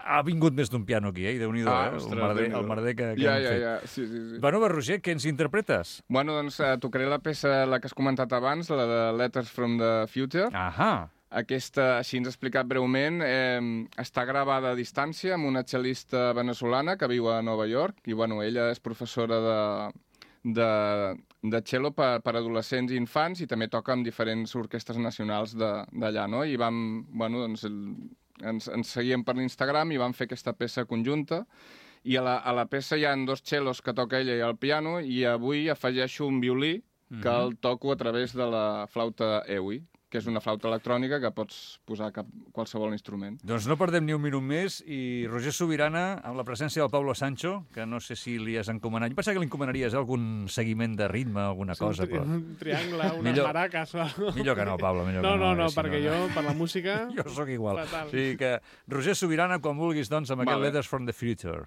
S2: ha vingut més d'un piano aquí, eh? Déu-n'hi-do,
S3: ah,
S2: eh?
S3: Ostres,
S2: el merder, el merder que, que
S3: ja,
S2: hem
S3: ja,
S2: fet.
S3: Ja, sí, sí, sí.
S2: Bueno, Roger, què ens interpretes?
S3: Bueno, doncs eh, tocaré la peça, la que has comentat abans, la de Letters from the Future.
S2: Ahà.
S3: Aquesta, així ens ha explicat breument, eh, està gravada a distància amb una cel·lista veneçolana que viu a Nova York i, bueno, ella és professora de, de, de cello per, per adolescents i infants i també toca amb diferents orquestres nacionals d'allà, no? I vam, bueno, doncs, el, ens, ens seguíem per l'Instagram i vam fer aquesta peça conjunta i a la, a la peça hi ha dos cellos que toca ella i el piano i avui afegeixo un violí que mm-hmm. el toco a través de la flauta EWI, que és una flauta electrònica que pots posar cap, qualsevol instrument.
S2: Doncs no perdem ni un minut més i Roger Subirana, amb la presència del Pablo Sancho, que no sé si li has encomanat. Jo pensava que li encomanaries algun seguiment de ritme, alguna cosa,
S4: un,
S2: però...
S4: Un triangle, unes millor, maraques... O...
S2: Millor que no, Pablo, millor
S4: no,
S2: que no.
S4: No, no,
S2: si
S4: perquè no, jo, per la música...
S2: jo sóc igual.
S4: Fatal.
S2: O sigui que, Roger Subirana, quan vulguis, doncs, amb vale. Aquest Letters from the Future.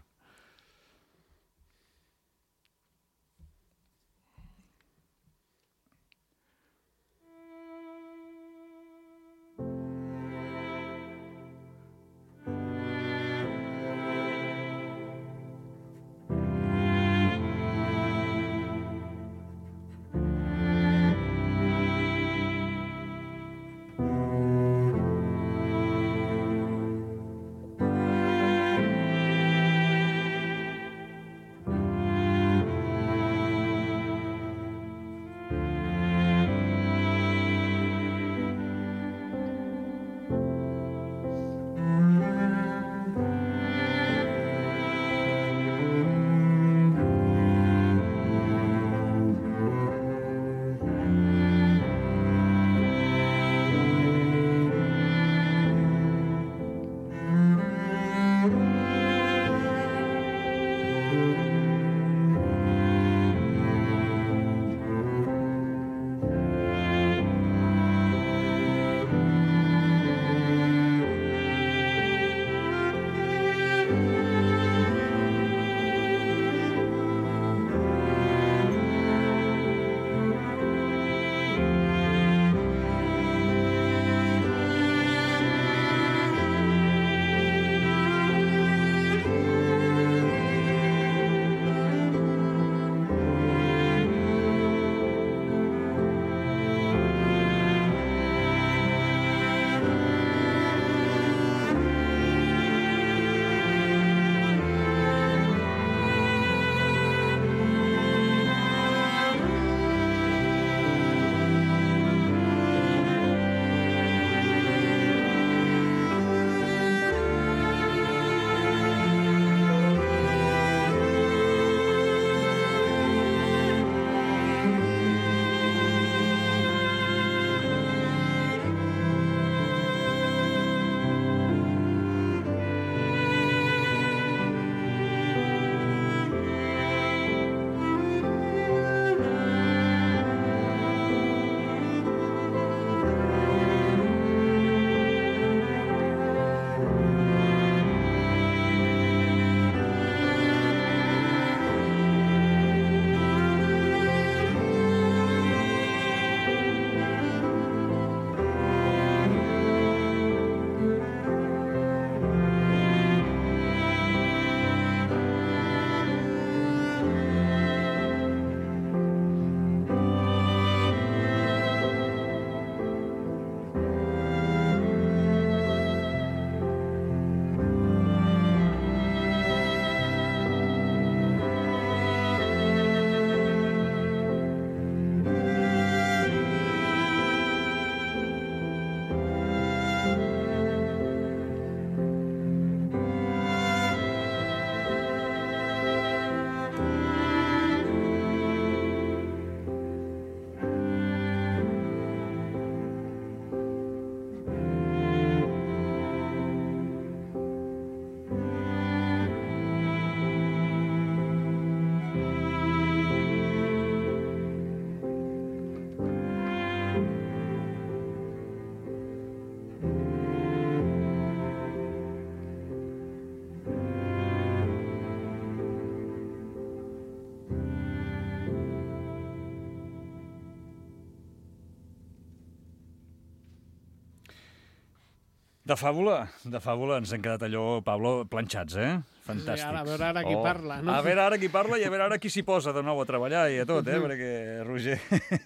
S2: De fàbula, de fàbula. Ens hem quedat allò, Pablo, planxats, eh? Fantàstics.
S4: Sí, ara, a veure ara qui oh. parla, no?
S2: A veure ara qui parla i a veure ara qui s'hi posa de nou a treballar i a tot, eh? Perquè, Roger,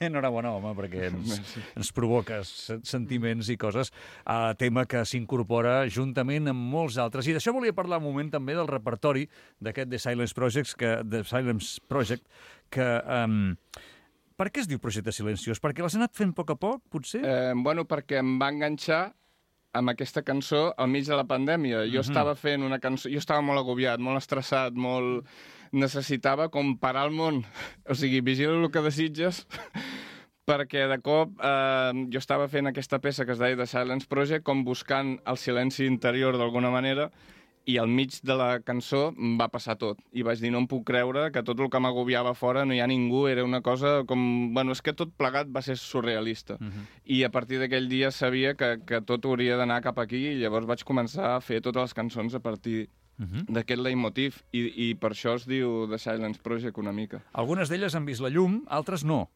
S2: enhorabona, home, perquè ens, ens provoca sentiments i coses. Uh, tema que s'incorpora juntament amb molts altres. I d'això volia parlar un moment també del repertori d'aquest The Silence Project, que, The Silence Project, que... Um, per què es diu Projecte Silenciós? Perquè l'has anat fent a poc a poc, potser?
S3: Eh, bueno, perquè em va enganxar amb aquesta cançó al mig de la pandèmia. Jo mm-hmm. estava fent una cançó... Jo estava molt agobiat, molt estressat, molt... Necessitava com parar el món. O sigui, vigila el que desitges, perquè de cop eh, jo estava fent aquesta peça que es deia The Silence Project, com buscant el silenci interior d'alguna manera, i al mig de la cançó em va passar tot. I vaig dir, no em puc creure que tot el que m'agobiava fora no hi ha ningú, era una cosa com... Bueno, és que tot plegat va ser surrealista. Uh-huh. I a partir d'aquell dia sabia que, que tot hauria d'anar cap aquí, i llavors vaig començar a fer totes les cançons a partir uh-huh. d'aquest leitmotiv, i, i per això es diu The Silence Project una mica.
S2: Algunes d'elles han vist la llum, altres no.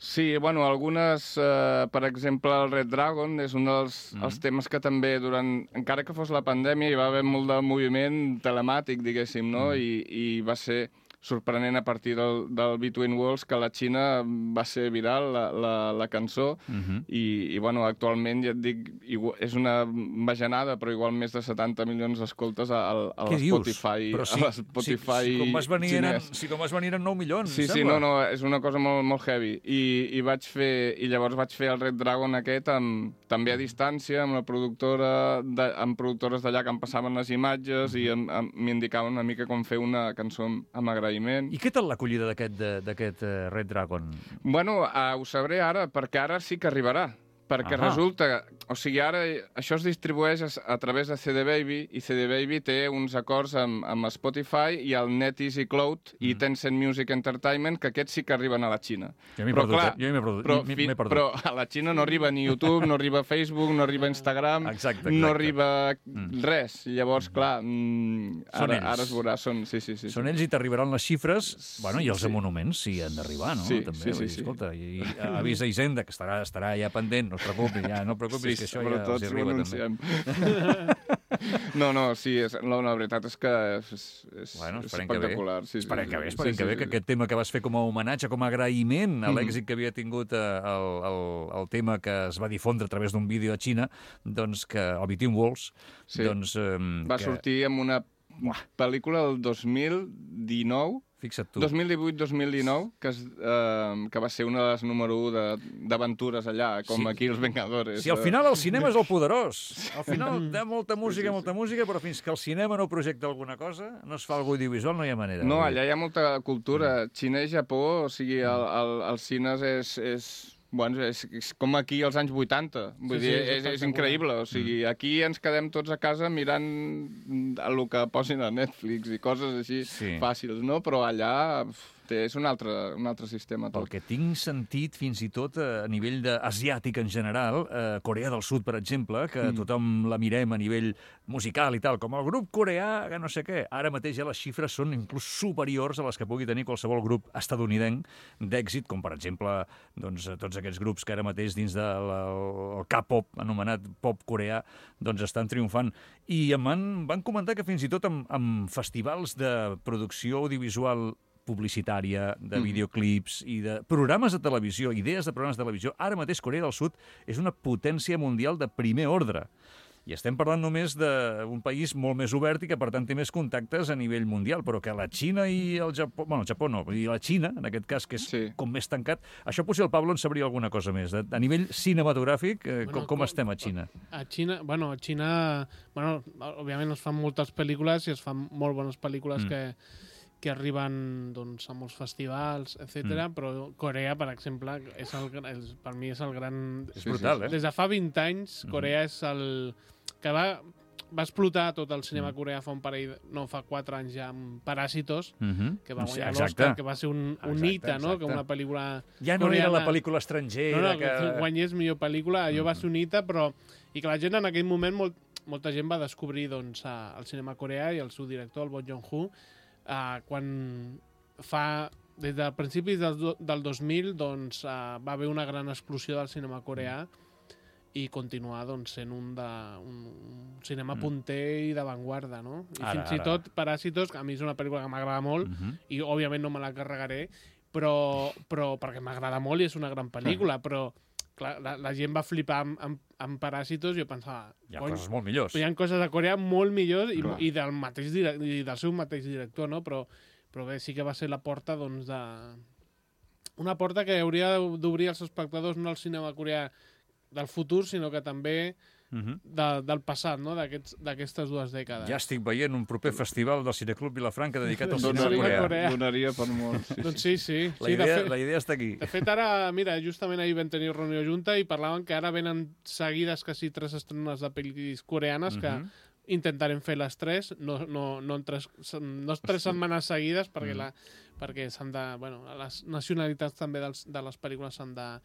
S3: Sí, bueno, algunes, eh, per exemple, el Red Dragon és un dels mm. els temes que també durant... Encara que fos la pandèmia hi va haver molt de moviment telemàtic, diguéssim, no? Mm. I, i va ser sorprenent a partir del, del Between Worlds que a la Xina va ser viral la, la, la cançó mm-hmm. i, i, bueno, actualment, ja et dic, igual, és una bajanada, però igual més de setanta milions d'escoltes a, a, a l'Spotify
S2: Però si,
S3: a l'Spotify
S2: si, si, com vas venir
S3: xinès.
S2: Eren, si com vas venir eren nou milions,
S3: sí,
S2: sembla.
S3: Sí, no, no, és una cosa molt, molt heavy. I, i, vaig fer, I llavors vaig fer el Red Dragon aquest amb, també a distància, amb la productora, de, amb productores d'allà que em passaven les imatges mm-hmm. i m'indicaven una mica com fer una cançó amb, amb agraïment.
S2: I què tal l'acollida d'aquest uh, Red Dragon?
S3: Bueno, uh, ho sabré ara, perquè ara sí que arribarà. Perquè ah. resulta... O sigui, ara això es distribueix a, a través de C D Baby, i C D Baby té uns acords amb, amb Spotify i el NetEasy Cloud mm. i Tencent Music Entertainment, que aquests sí que arriben a la Xina.
S2: Jo m'he perdut, clar, jo m'he perdut,
S3: però,
S2: m'he perdut.
S3: Però a la Xina no arriba ni YouTube, no arriba Facebook, no arriba Instagram,
S2: exacte, exacte.
S3: no arriba mm. res. Llavors, clar, mm, ara, ara es veurà. Són, sí, sí, sí,
S2: són
S3: sí.
S2: ells i t'arribaran les xifres, bueno, i els sí. monuments sí han d'arribar, no?
S3: Sí,
S2: també,
S3: sí, sí,
S2: dir,
S3: sí.
S2: Escolta, i, i avisa Hisenda, que estarà, estarà ja pendent, no et preocupis, ja, no et preocupis, sí, que això ja els arriba també.
S3: No, no, sí, és, la, la veritat és que és, és,
S2: bueno,
S3: és espectacular.
S2: Que
S3: sí,
S2: esperem
S3: sí,
S2: que bé,
S3: sí,
S2: esperem
S3: sí,
S2: que bé,
S3: sí,
S2: que
S3: sí.
S2: aquest tema que vas fer com a homenatge, com a agraïment a l'èxit que havia tingut eh, el, el, el tema que es va difondre a través d'un vídeo a Xina, doncs que el Between Worlds,
S3: sí.
S2: doncs... Eh,
S3: va
S2: que...
S3: sortir amb una pel·lícula el dos mil dinou,
S2: fixa't tu.
S3: dos mil divuit dos mil dinou, que, es, eh, que va ser una de les número u d'aventures allà, com sí. aquí els Vengadores.
S2: Sí, al final el cinema és el poderós. Al final hi ha molta música, sí, sí, sí. molta música, però fins que el cinema no projecta alguna cosa, no es fa algú audiovisual, no hi ha manera.
S3: No, allà hi ha molta cultura. Xina i Japó, o sigui, el, el, els cines és... és... Bueno, és, és com aquí als anys vuitanta. Vull sí, dir, sí, és, és increïble. O sigui, aquí ens quedem tots a casa mirant el que posin a Netflix i coses així sí. fàcils, no? Però allà té, és un altre, un altre sistema. Tot.
S2: Pel que tinc sentit, fins i tot a nivell de, asiàtic en general, eh, Corea del Sud, per exemple, que mm. tothom la mirem a nivell musical i tal, com el grup coreà, que no sé què. Ara mateix ja les xifres són inclús superiors a les que pugui tenir qualsevol grup estadounidenc d'èxit, com per exemple doncs, tots aquests grups que ara mateix dins del de K-pop, anomenat pop coreà, doncs estan triomfant. I em van, van comentar que fins i tot amb, amb festivals de producció audiovisual publicitària, de videoclips i de programes de televisió, idees de programes de televisió, ara mateix Corea del Sud és una potència mundial de primer ordre. I estem parlant només d'un país molt més obert i que, per tant, té més contactes a nivell mundial, però que la Xina i el Japó... Bueno, el Japó no, i la Xina, en aquest cas, que és sí. com més tancat, això potser el Pablo en sabria alguna cosa més. A nivell cinematogràfic, eh, bueno, com, com estem a Xina?
S4: A Xina, bueno, a Xina... Bueno, òbviament es fan moltes pel·lícules i es fan molt bones pel·lícules mm. que que arriben doncs, a molts festivals, etcètera. Mm. Però Corea, per exemple, és el, és, per mi és el gran...
S2: És brutal, eh?
S4: Des de fa vint anys, Corea mm. és el... que va, va explotar tot el cinema mm. coreà fa un parell... No, fa quatre anys ja, amb Paràsitos, mm-hmm. que va guanyar sí, l'Oscar, que va ser un, un hita, no? Que una pel·lícula
S2: ja no coreana... era la pel·lícula estrangera...
S4: No, no,
S2: que...
S4: que guanyés millor pel·lícula, allò mm. va ser un hita, però... I que la gent en aquell moment, molt, molta gent va descobrir doncs, el cinema coreà i el seu director, el Bong Joon-ho, Uh, quan fa, des de principis del, del dos mil, doncs, uh, va haver una gran explosió del cinema coreà i continuar doncs, sent un, de, un, un cinema mm. punter i d'avantguarda, no? I
S2: ara,
S4: fins i tot Paràsitos, que a mi és una pel·lícula que m'agrada molt, uh -huh. i òbviament no me la carregaré, però, però perquè m'agrada molt i és una gran pel·lícula, uh -huh. però clar, la, la gent va flipar amb, amb, amb Paràsitos i jo pensava...
S2: Hi ha coses molt millors.
S4: Hi ha coses de Corea molt millors i, i, del, mateix, i del seu mateix director, no? Però, però bé, sí que va ser la porta, doncs, de... Una porta que hauria d'obrir els espectadors no al cinema coreà del futur, sinó que també uh -huh. de, del passat, no? D'aquestes dues dècades.
S2: Ja estic veient un proper festival del Cineclub Vilafranca dedicat al cinema
S3: donaria,
S2: coreà.
S3: Donaria per molt. Sí,
S4: doncs sí, sí.
S2: La,
S4: sí
S2: idea,
S4: fet,
S2: la idea està aquí.
S4: De fet, ara, mira, justament ahir vam tenir reunió junta i parlaven que ara venen seguides quasi tres estrenes de pel·lis coreanes que uh -huh. intentarem fer les tres, no, no, no, en tres, no tres setmanes seguides, perquè, uh -huh. la, perquè s'han de... Bueno, les nacionalitats també dels, de les pel·lícules s'han de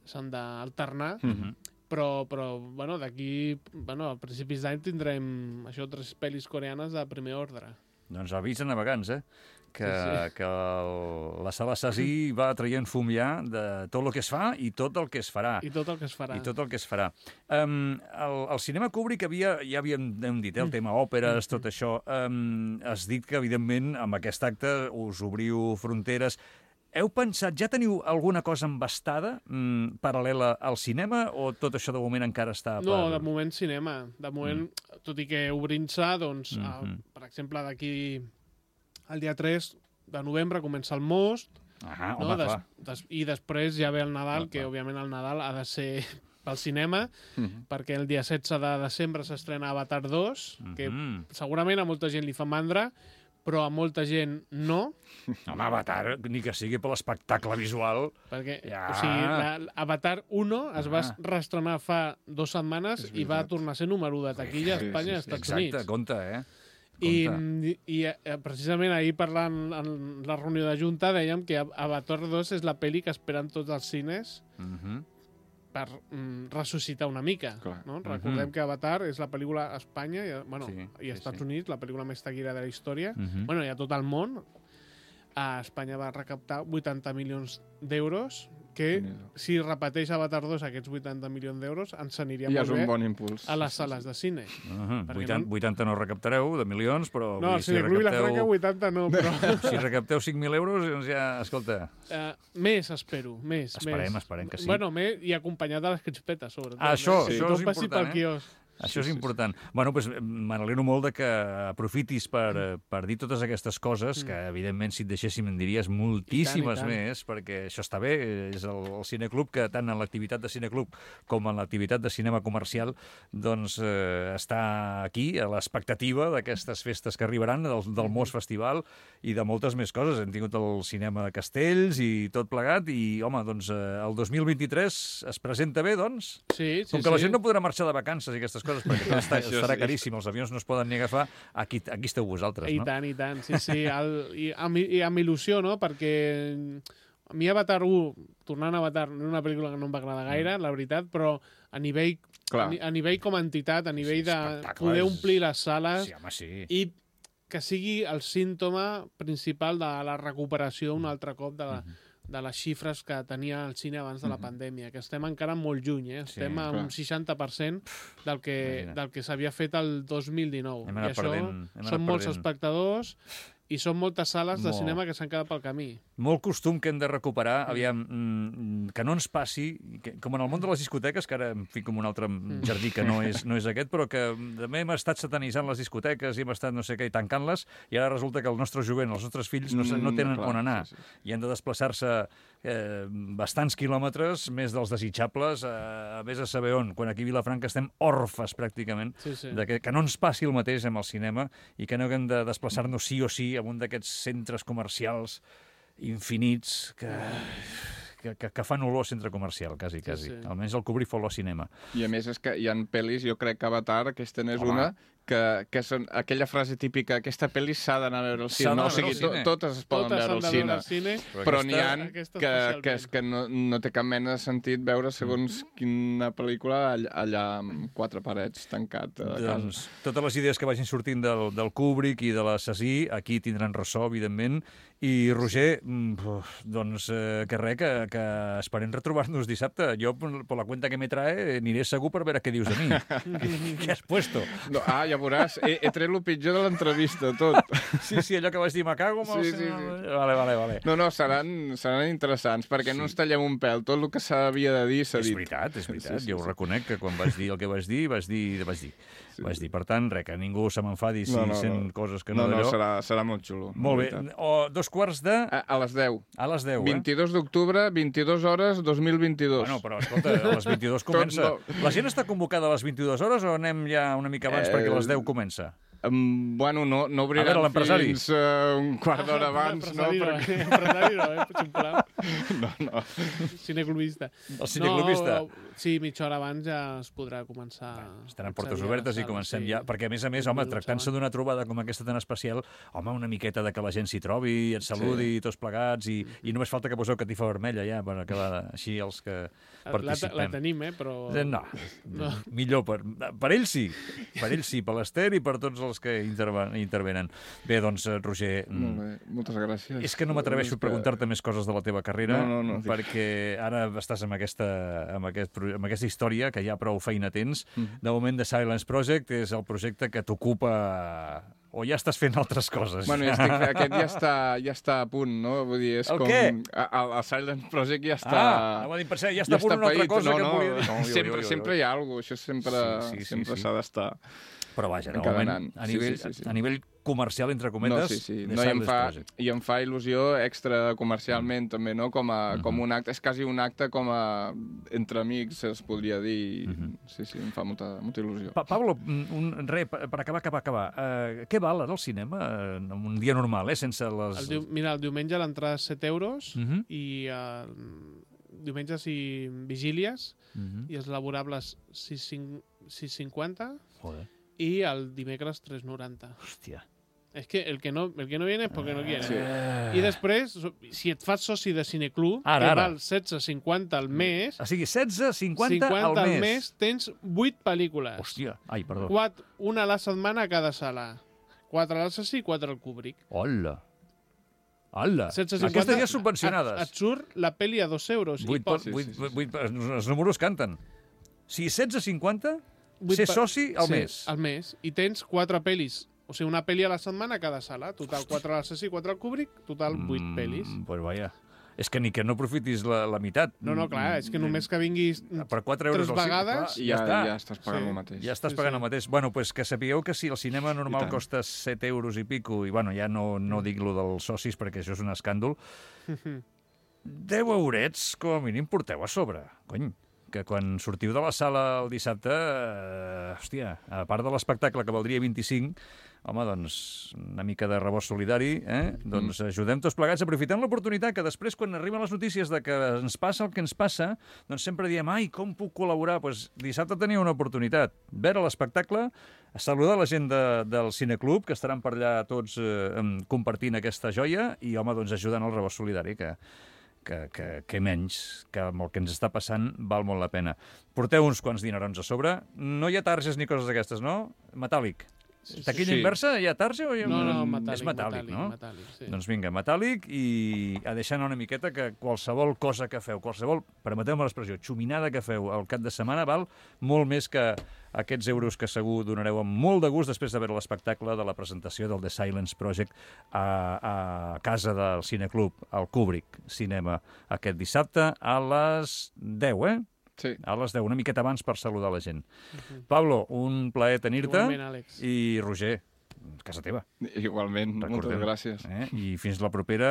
S4: s'han d'alternar, uh -huh. però, però bueno, d'aquí bueno, a principis d'any tindrem això, tres pel·lis coreanes de primer ordre.
S2: Doncs avís a navegants, eh? Que, sí, sí. que el, la sala Sassi va traient fum ja de tot el que es fa i tot el que es farà.
S4: I tot el que es farà.
S2: I tot el que es farà. Um, el, el cinema Kubrick havia, ja havíem hem dit, eh, el tema òperes, tot això. Um, has dit que, evidentment, amb aquest acte us obriu fronteres. Heu pensat, ja teniu alguna cosa embastada mm, paral·lela al cinema o tot això de moment encara està... Per...
S4: No, de moment cinema. De moment, mm. tot i que obrint-se, doncs, mm -hmm. uh, per exemple, d'aquí el dia tres de novembre comença el Most,
S2: ah,
S4: no?
S2: home,
S4: des,
S2: clar.
S4: des, i després ja ve el Nadal,
S2: ah,
S4: que
S2: clar.
S4: òbviament el Nadal ha de ser pel cinema, mm -hmm. perquè el dia setze de desembre s'estrena Avatar dos, mm -hmm. que segurament a molta gent li fa mandra, però a molta gent no.
S2: Home, Avatar, ni que sigui per l'espectacle visual...
S4: Perquè, ja. o sigui, la, Avatar un es ah. va reestrenar fa dues setmanes i va tornar a ser número u de taquilla a Espanya i als Estats
S2: Exacte,
S4: Units.
S2: compte, eh?
S4: I, i, i precisament ahir parlant en la reunió de Junta dèiem que Avatar dos és la pel·li que esperen tots els cines uh -huh. per mm, ressuscitar una mica. No? Recordem uh -huh. que Avatar és la pel·lícula a Espanya i, bueno, sí, i als sí, Estats sí. Units, la pel·lícula més taquillera de la història, uh -huh. bueno, i a tot el món. A Espanya va recaptar vuitanta milions d'euros, que sí, si repeteix Avatar dos aquests vuitanta milions d'euros, ens aniria
S3: ja
S4: molt bé
S3: un bon impuls.
S4: a les sales de cine.
S2: Uh -huh. vuitanta, no... vuitanta no recaptareu, de milions, però...
S4: No, si Cineclub recapteu... Vilafranca vuitanta no, però...
S2: Si recapteu cinc mil euros, doncs ja, escolta...
S4: Uh, més, espero, més.
S2: Esperem,
S4: més.
S2: esperem que sí.
S4: Bueno, més, i acompanyat de les crispetes, sobretot.
S2: Ah, això,
S4: sí.
S2: això és
S4: important, pel
S2: eh?
S4: quiosc.
S2: Això
S3: sí,
S2: és important. Sí, sí. Bueno, doncs m'alegro molt de que aprofitis per, per dir totes aquestes coses, que evidentment si et deixéssim en diries moltíssimes I tant, i tant. més, perquè això està bé, és el, el cineclub que tant en l'activitat de cineclub com en l'activitat de cinema comercial doncs eh, està aquí, a l'expectativa d'aquestes festes que arribaran, del, del Most Festival i de moltes més coses. Hem tingut el cinema de Castells i tot plegat i, home, doncs eh, el dos mil vint-i-tres es presenta bé, doncs?
S4: Sí, sí,
S2: Com que
S4: sí.
S2: la gent no podrà marxar de vacances i aquestes coses, perquè tot està, estarà caríssim, els avions no es poden ni agafar, aquí, aquí esteu vosaltres, no?
S4: I tant, i tant, sí, sí, el, i, amb, i amb il·lusió, no?, perquè a mi Avatar un, tornant a Avatar, no és una pel·lícula que no em va agradar gaire, mm. la veritat, però a nivell, a, a nivell com a entitat, a nivell sí, de poder omplir les sales
S2: sí, home, sí.
S4: i que sigui el símptoma principal de la recuperació un altre cop de la... Mm-hmm. de les xifres que tenia el cine abans de la pandèmia, que estem encara molt lluny, eh? Estem sí, a un seixanta per cent del que, del que s'havia fet el dos mil dinou. I això perdent, són molts perdent. espectadors i són moltes sales de Molt. cinema que s'han quedat pel camí.
S2: Molt costum que hem de recuperar, aviam, mm, que no ens passi, que, com en el món de les discoteques, que ara em fico en un altre jardí que no és, no és aquest, però que també hem estat satanitzant les discoteques i hem estat no sé què i tancant-les, i ara resulta que el nostre jovent, els nostres fills, no, no tenen mm, clar, on anar, sí, sí. i han de desplaçar-se eh, bastants quilòmetres, més dels desitjables, eh, a més a saber on, quan aquí a Vilafranca estem orfes, pràcticament, sí, sí. De que, que no ens passi el mateix amb el cinema i que no haguem de desplaçar-nos sí o sí en un d'aquests centres comercials infinits que, que, que, que fan olor a centre comercial, quasi, quasi. Sí, sí. Almenys el Kubrick fa olor a cinema.
S3: I a més és que hi ha pel·lis, jo crec que Avatar, aquesta n'és una, que, que són aquella frase típica, aquesta pel·li s'ha d'anar a veure al cine. No, o sigui, to, totes es poden
S4: totes
S3: veure al cine,
S4: cine,
S3: però n'hi ha
S4: aquesta
S3: que, que, és que no, no té cap mena de sentit veure segons quina pel·lícula allà, allà amb quatre parets tancat a casa.
S2: Doncs totes les idees que vagin sortint del, del Kubrick i de l'assassí, aquí tindran ressò, evidentment. I, Roger, doncs eh, que res, que, que esperem retrobar-nos dissabte. Jo, per la cuenta que me trae, aniré segur per veure què dius de mi. Què has puesto?
S3: No, ah, ja veuràs, he, he tret el pitjor de l'entrevista, tot.
S2: Sí, sí, allò que vas dir, me cago amb el...
S3: Sí, sí, sí.
S2: Vale, vale, vale.
S3: No, no, seran, seran interessants, perquè sí. no ens tallem un pèl. Tot el que s'havia de dir s'ha dit.
S2: És veritat, és veritat.
S3: Sí, sí,
S2: jo ho
S3: sí.
S2: reconec, que quan vas dir el que vas dir, vas dir... Vas dir.
S3: Sí.
S2: Vas dir. Per tant, res, que ningú se m'enfadi si
S3: no, no,
S2: sent
S3: no.
S2: coses que no,
S3: no
S2: d'allò.
S3: No, serà, serà molt xulo.
S2: Molt bé. O dos quarts de...
S3: A, a les deu.
S2: A les deu, eh?
S3: vint-i-dos d'octubre, vint-i-dues hores, dos mil vint-i-dos.
S2: Bueno, però escolta, a les vint-i-dues comença.
S3: no.
S2: La gent està convocada a les vint-i-dues hores o anem ja una mica abans eh... perquè a les deu comença?
S3: Um, bueno, no, no obriran
S2: veure,
S3: fins uh, un quart d'hora abans, no?
S4: Perquè... Empresari no, eh? Sisplau.
S3: No, no.
S4: Cineclubista.
S2: El cineclubista.
S4: No, sí, mitja hora abans ja es podrà començar...
S2: Estaran portes obertes i comencem sí. ja... Perquè, a més a més, home, tractant-se d'una trobada com aquesta tan especial, home, una miqueta de que la gent s'hi trobi, et saludi, sí. tots plegats, i, i només falta que poseu catifa vermella ja, per acabar així els que participem.
S4: La, la tenim, eh, però...
S2: No, no. millor per, per ells sí. Per ells sí, per l'Ester i per tots els que intervenen. Bé, doncs, Roger...
S3: Molt bé, moltes gràcies.
S2: És que no m'atreveixo a preguntar-te més coses de la teva carrera,
S3: no, no, no,
S2: perquè ara estàs amb aquesta, amb, aquest, amb aquesta història, que ja prou feina tens. Mm. De moment, The Silence Project és el projecte que t'ocupa... O ja estàs fent altres coses?
S3: Bueno, ja estic, aquest ja està, ja està a punt, no? Vull dir, és
S2: el
S3: com...
S2: què?
S3: El, el Silent Project ja està...
S2: Ah, no, dir, ja està ja a punt una altra cosa
S3: no,
S2: que
S3: no,
S2: volia dir.
S3: No, sempre, jo, jo, jo. sempre hi ha alguna cosa, això sempre s'ha sí, sí, sí, sí. d'estar...
S2: Però vaja, de moment, a nivell, sí, sí, sí. a nivell comercial, entre cometes,
S3: no, sí, sí. No, i, em fa, i em fa il·lusió extra comercialment, mm. també, no? Com, a, mm-hmm. com un acte, és quasi un acte com a entre amics, es podria dir. Mm-hmm. Sí, sí, em fa molta, molta il·lusió.
S2: Pa Pablo, un, re, per acabar, acabar, acabar. Uh, què val ara el cinema? Uh, un dia normal, eh? Sense les...
S4: El diu, mira, el diumenge l'entrada és set euros
S2: mm-hmm.
S4: i uh, diumenges i vigílies mm-hmm. i els laborables sis cinquanta.
S2: Joder.
S4: Y al dimecres tres noranta.
S2: Hòstia.
S4: És que el que no, el que no viene és perquè no quiere.
S3: Sí.
S4: I després, si et fas soci de Cineclub,
S2: ara,
S4: que
S2: ara.
S4: val setze cinquanta al mes...
S2: O sigui, setze cinquanta al mes.
S4: al mes tens vuit pel·lícules.
S2: Hòstia, ai, perdó.
S4: Quatre, una a la setmana a cada sala. Quatre a l'Assassí i quatre al Kubrick.
S2: Hola. Hola.
S4: setze cinquanta,
S2: aquestes ja subvencionades.
S4: Et, et surt la pel·li a dos euros.
S2: vuit,
S4: i poc.
S2: vuit, sí, sí, sí. vuit, els números canten. Si setze cinquanta... Ser soci al
S4: sí,
S2: mes.
S4: al mes. I tens quatre pel·lis. O sigui, una pel·li a la setmana a cada sala. Total, quatre a l'Assassí, quatre al Kubrick. Total, vuit mm, pel·lis.
S2: Pues vaja. És que ni que no aprofitis la, la meitat.
S4: No, no, clar, és que només que vinguis
S2: per quatre euros
S4: tres vegades...
S3: I ja,
S2: ja,
S3: ja estàs pagant sí. el mateix.
S2: Ja estàs
S4: sí,
S2: pagant
S4: sí.
S2: el mateix. Bueno, pues que sapigueu que si el cinema normal costa set euros i pico, i bueno, ja no, no dic lo dels socis perquè això és un escàndol, deu eurets, com a mínim, porteu a sobre. Cony. Que quan sortiu de la sala el dissabte, eh, hòstia, a part de l'espectacle que valdria vint-i-cinc, home, doncs, una mica de rebost solidari, eh? Doncs ajudem tots plegats, aprofitant l'oportunitat que després, quan arriben les notícies de que ens passa el que ens passa, doncs sempre diem, ai, com puc col·laborar? Doncs dissabte teniu una oportunitat. Veure l'espectacle, saludar la gent de, del Cineclub, que estaran per allà tots eh, compartint aquesta joia, i, home, doncs ajudant el rebost solidari, que... Que, que, que menys, que amb el que ens està passant val molt la pena. Porteu uns quants dinerons a sobre. No hi ha targes ni coses d'aquestes, no? Metàl·lic. Sí, Taquilla sí. inversa, hi ha tarja o hi ha...
S4: No, no, metàl·lic.
S2: És metàl·lic, metàl·lic no?
S4: Metàl·lic, sí.
S2: Doncs vinga, metàl·lic i a deixar anar una miqueta que qualsevol cosa que feu, qualsevol, permeteu-me l'expressió, xuminada que feu al cap de setmana val molt més que aquests euros que segur donareu amb molt de gust després de veure l'espectacle de la presentació del The Silence Project a, a casa del Cineclub, al Kubrick Cinema, aquest dissabte a les deu, eh?
S3: Sí.
S2: A les deu, una miqueta abans per saludar la gent. Uh-huh. Pablo, un plaer tenir-te.
S4: Igualment, Àlex.
S2: I Roger, casa teva.
S3: Igualment,
S2: Recordem.
S3: moltes gràcies.
S2: Eh? I fins la propera...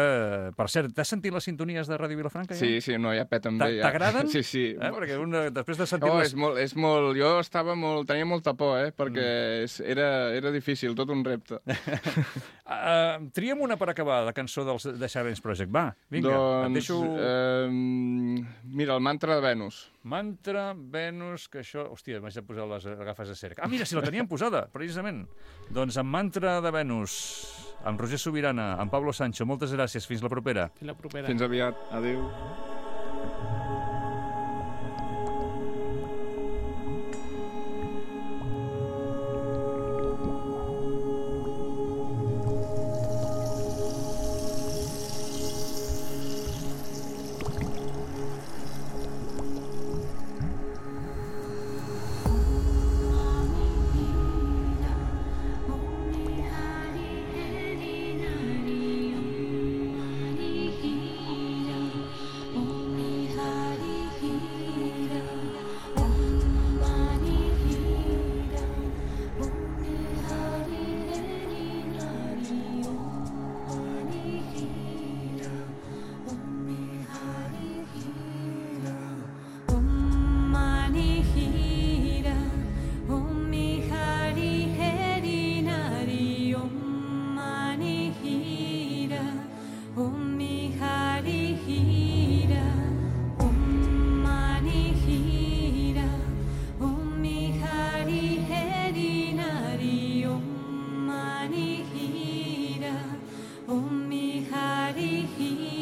S2: Per cert, t'has sentit les sintonies de Ràdio Vilafranca? Ja?
S3: Sí, sí, no, ja peten bé. Ja.
S2: T'agraden?
S3: Sí, sí.
S2: Eh? Perquè una, després de sentir...
S3: Oh,
S2: les...
S3: és molt, és molt... Jo estava molt... Tenia molta por, eh? Perquè mm. era, era difícil, tot un repte.
S2: uh, triem una per acabar, la cançó dels The Silence Project. Va, vinga,
S3: doncs,
S2: et deixo...
S3: Eh, mira, el mantra de Venus.
S2: Mantra, Venus, que això... Hòstia, m'haig de posar les agafes de cerc. Ah, mira, si la teníem posada, precisament. Doncs amb Mantra de Venus, amb Roger Sobirana, amb Pablo Sancho, moltes gràcies. Fins la propera.
S4: Fins la propera.
S3: Fins aviat. Adéu.
S5: Om Hari Hira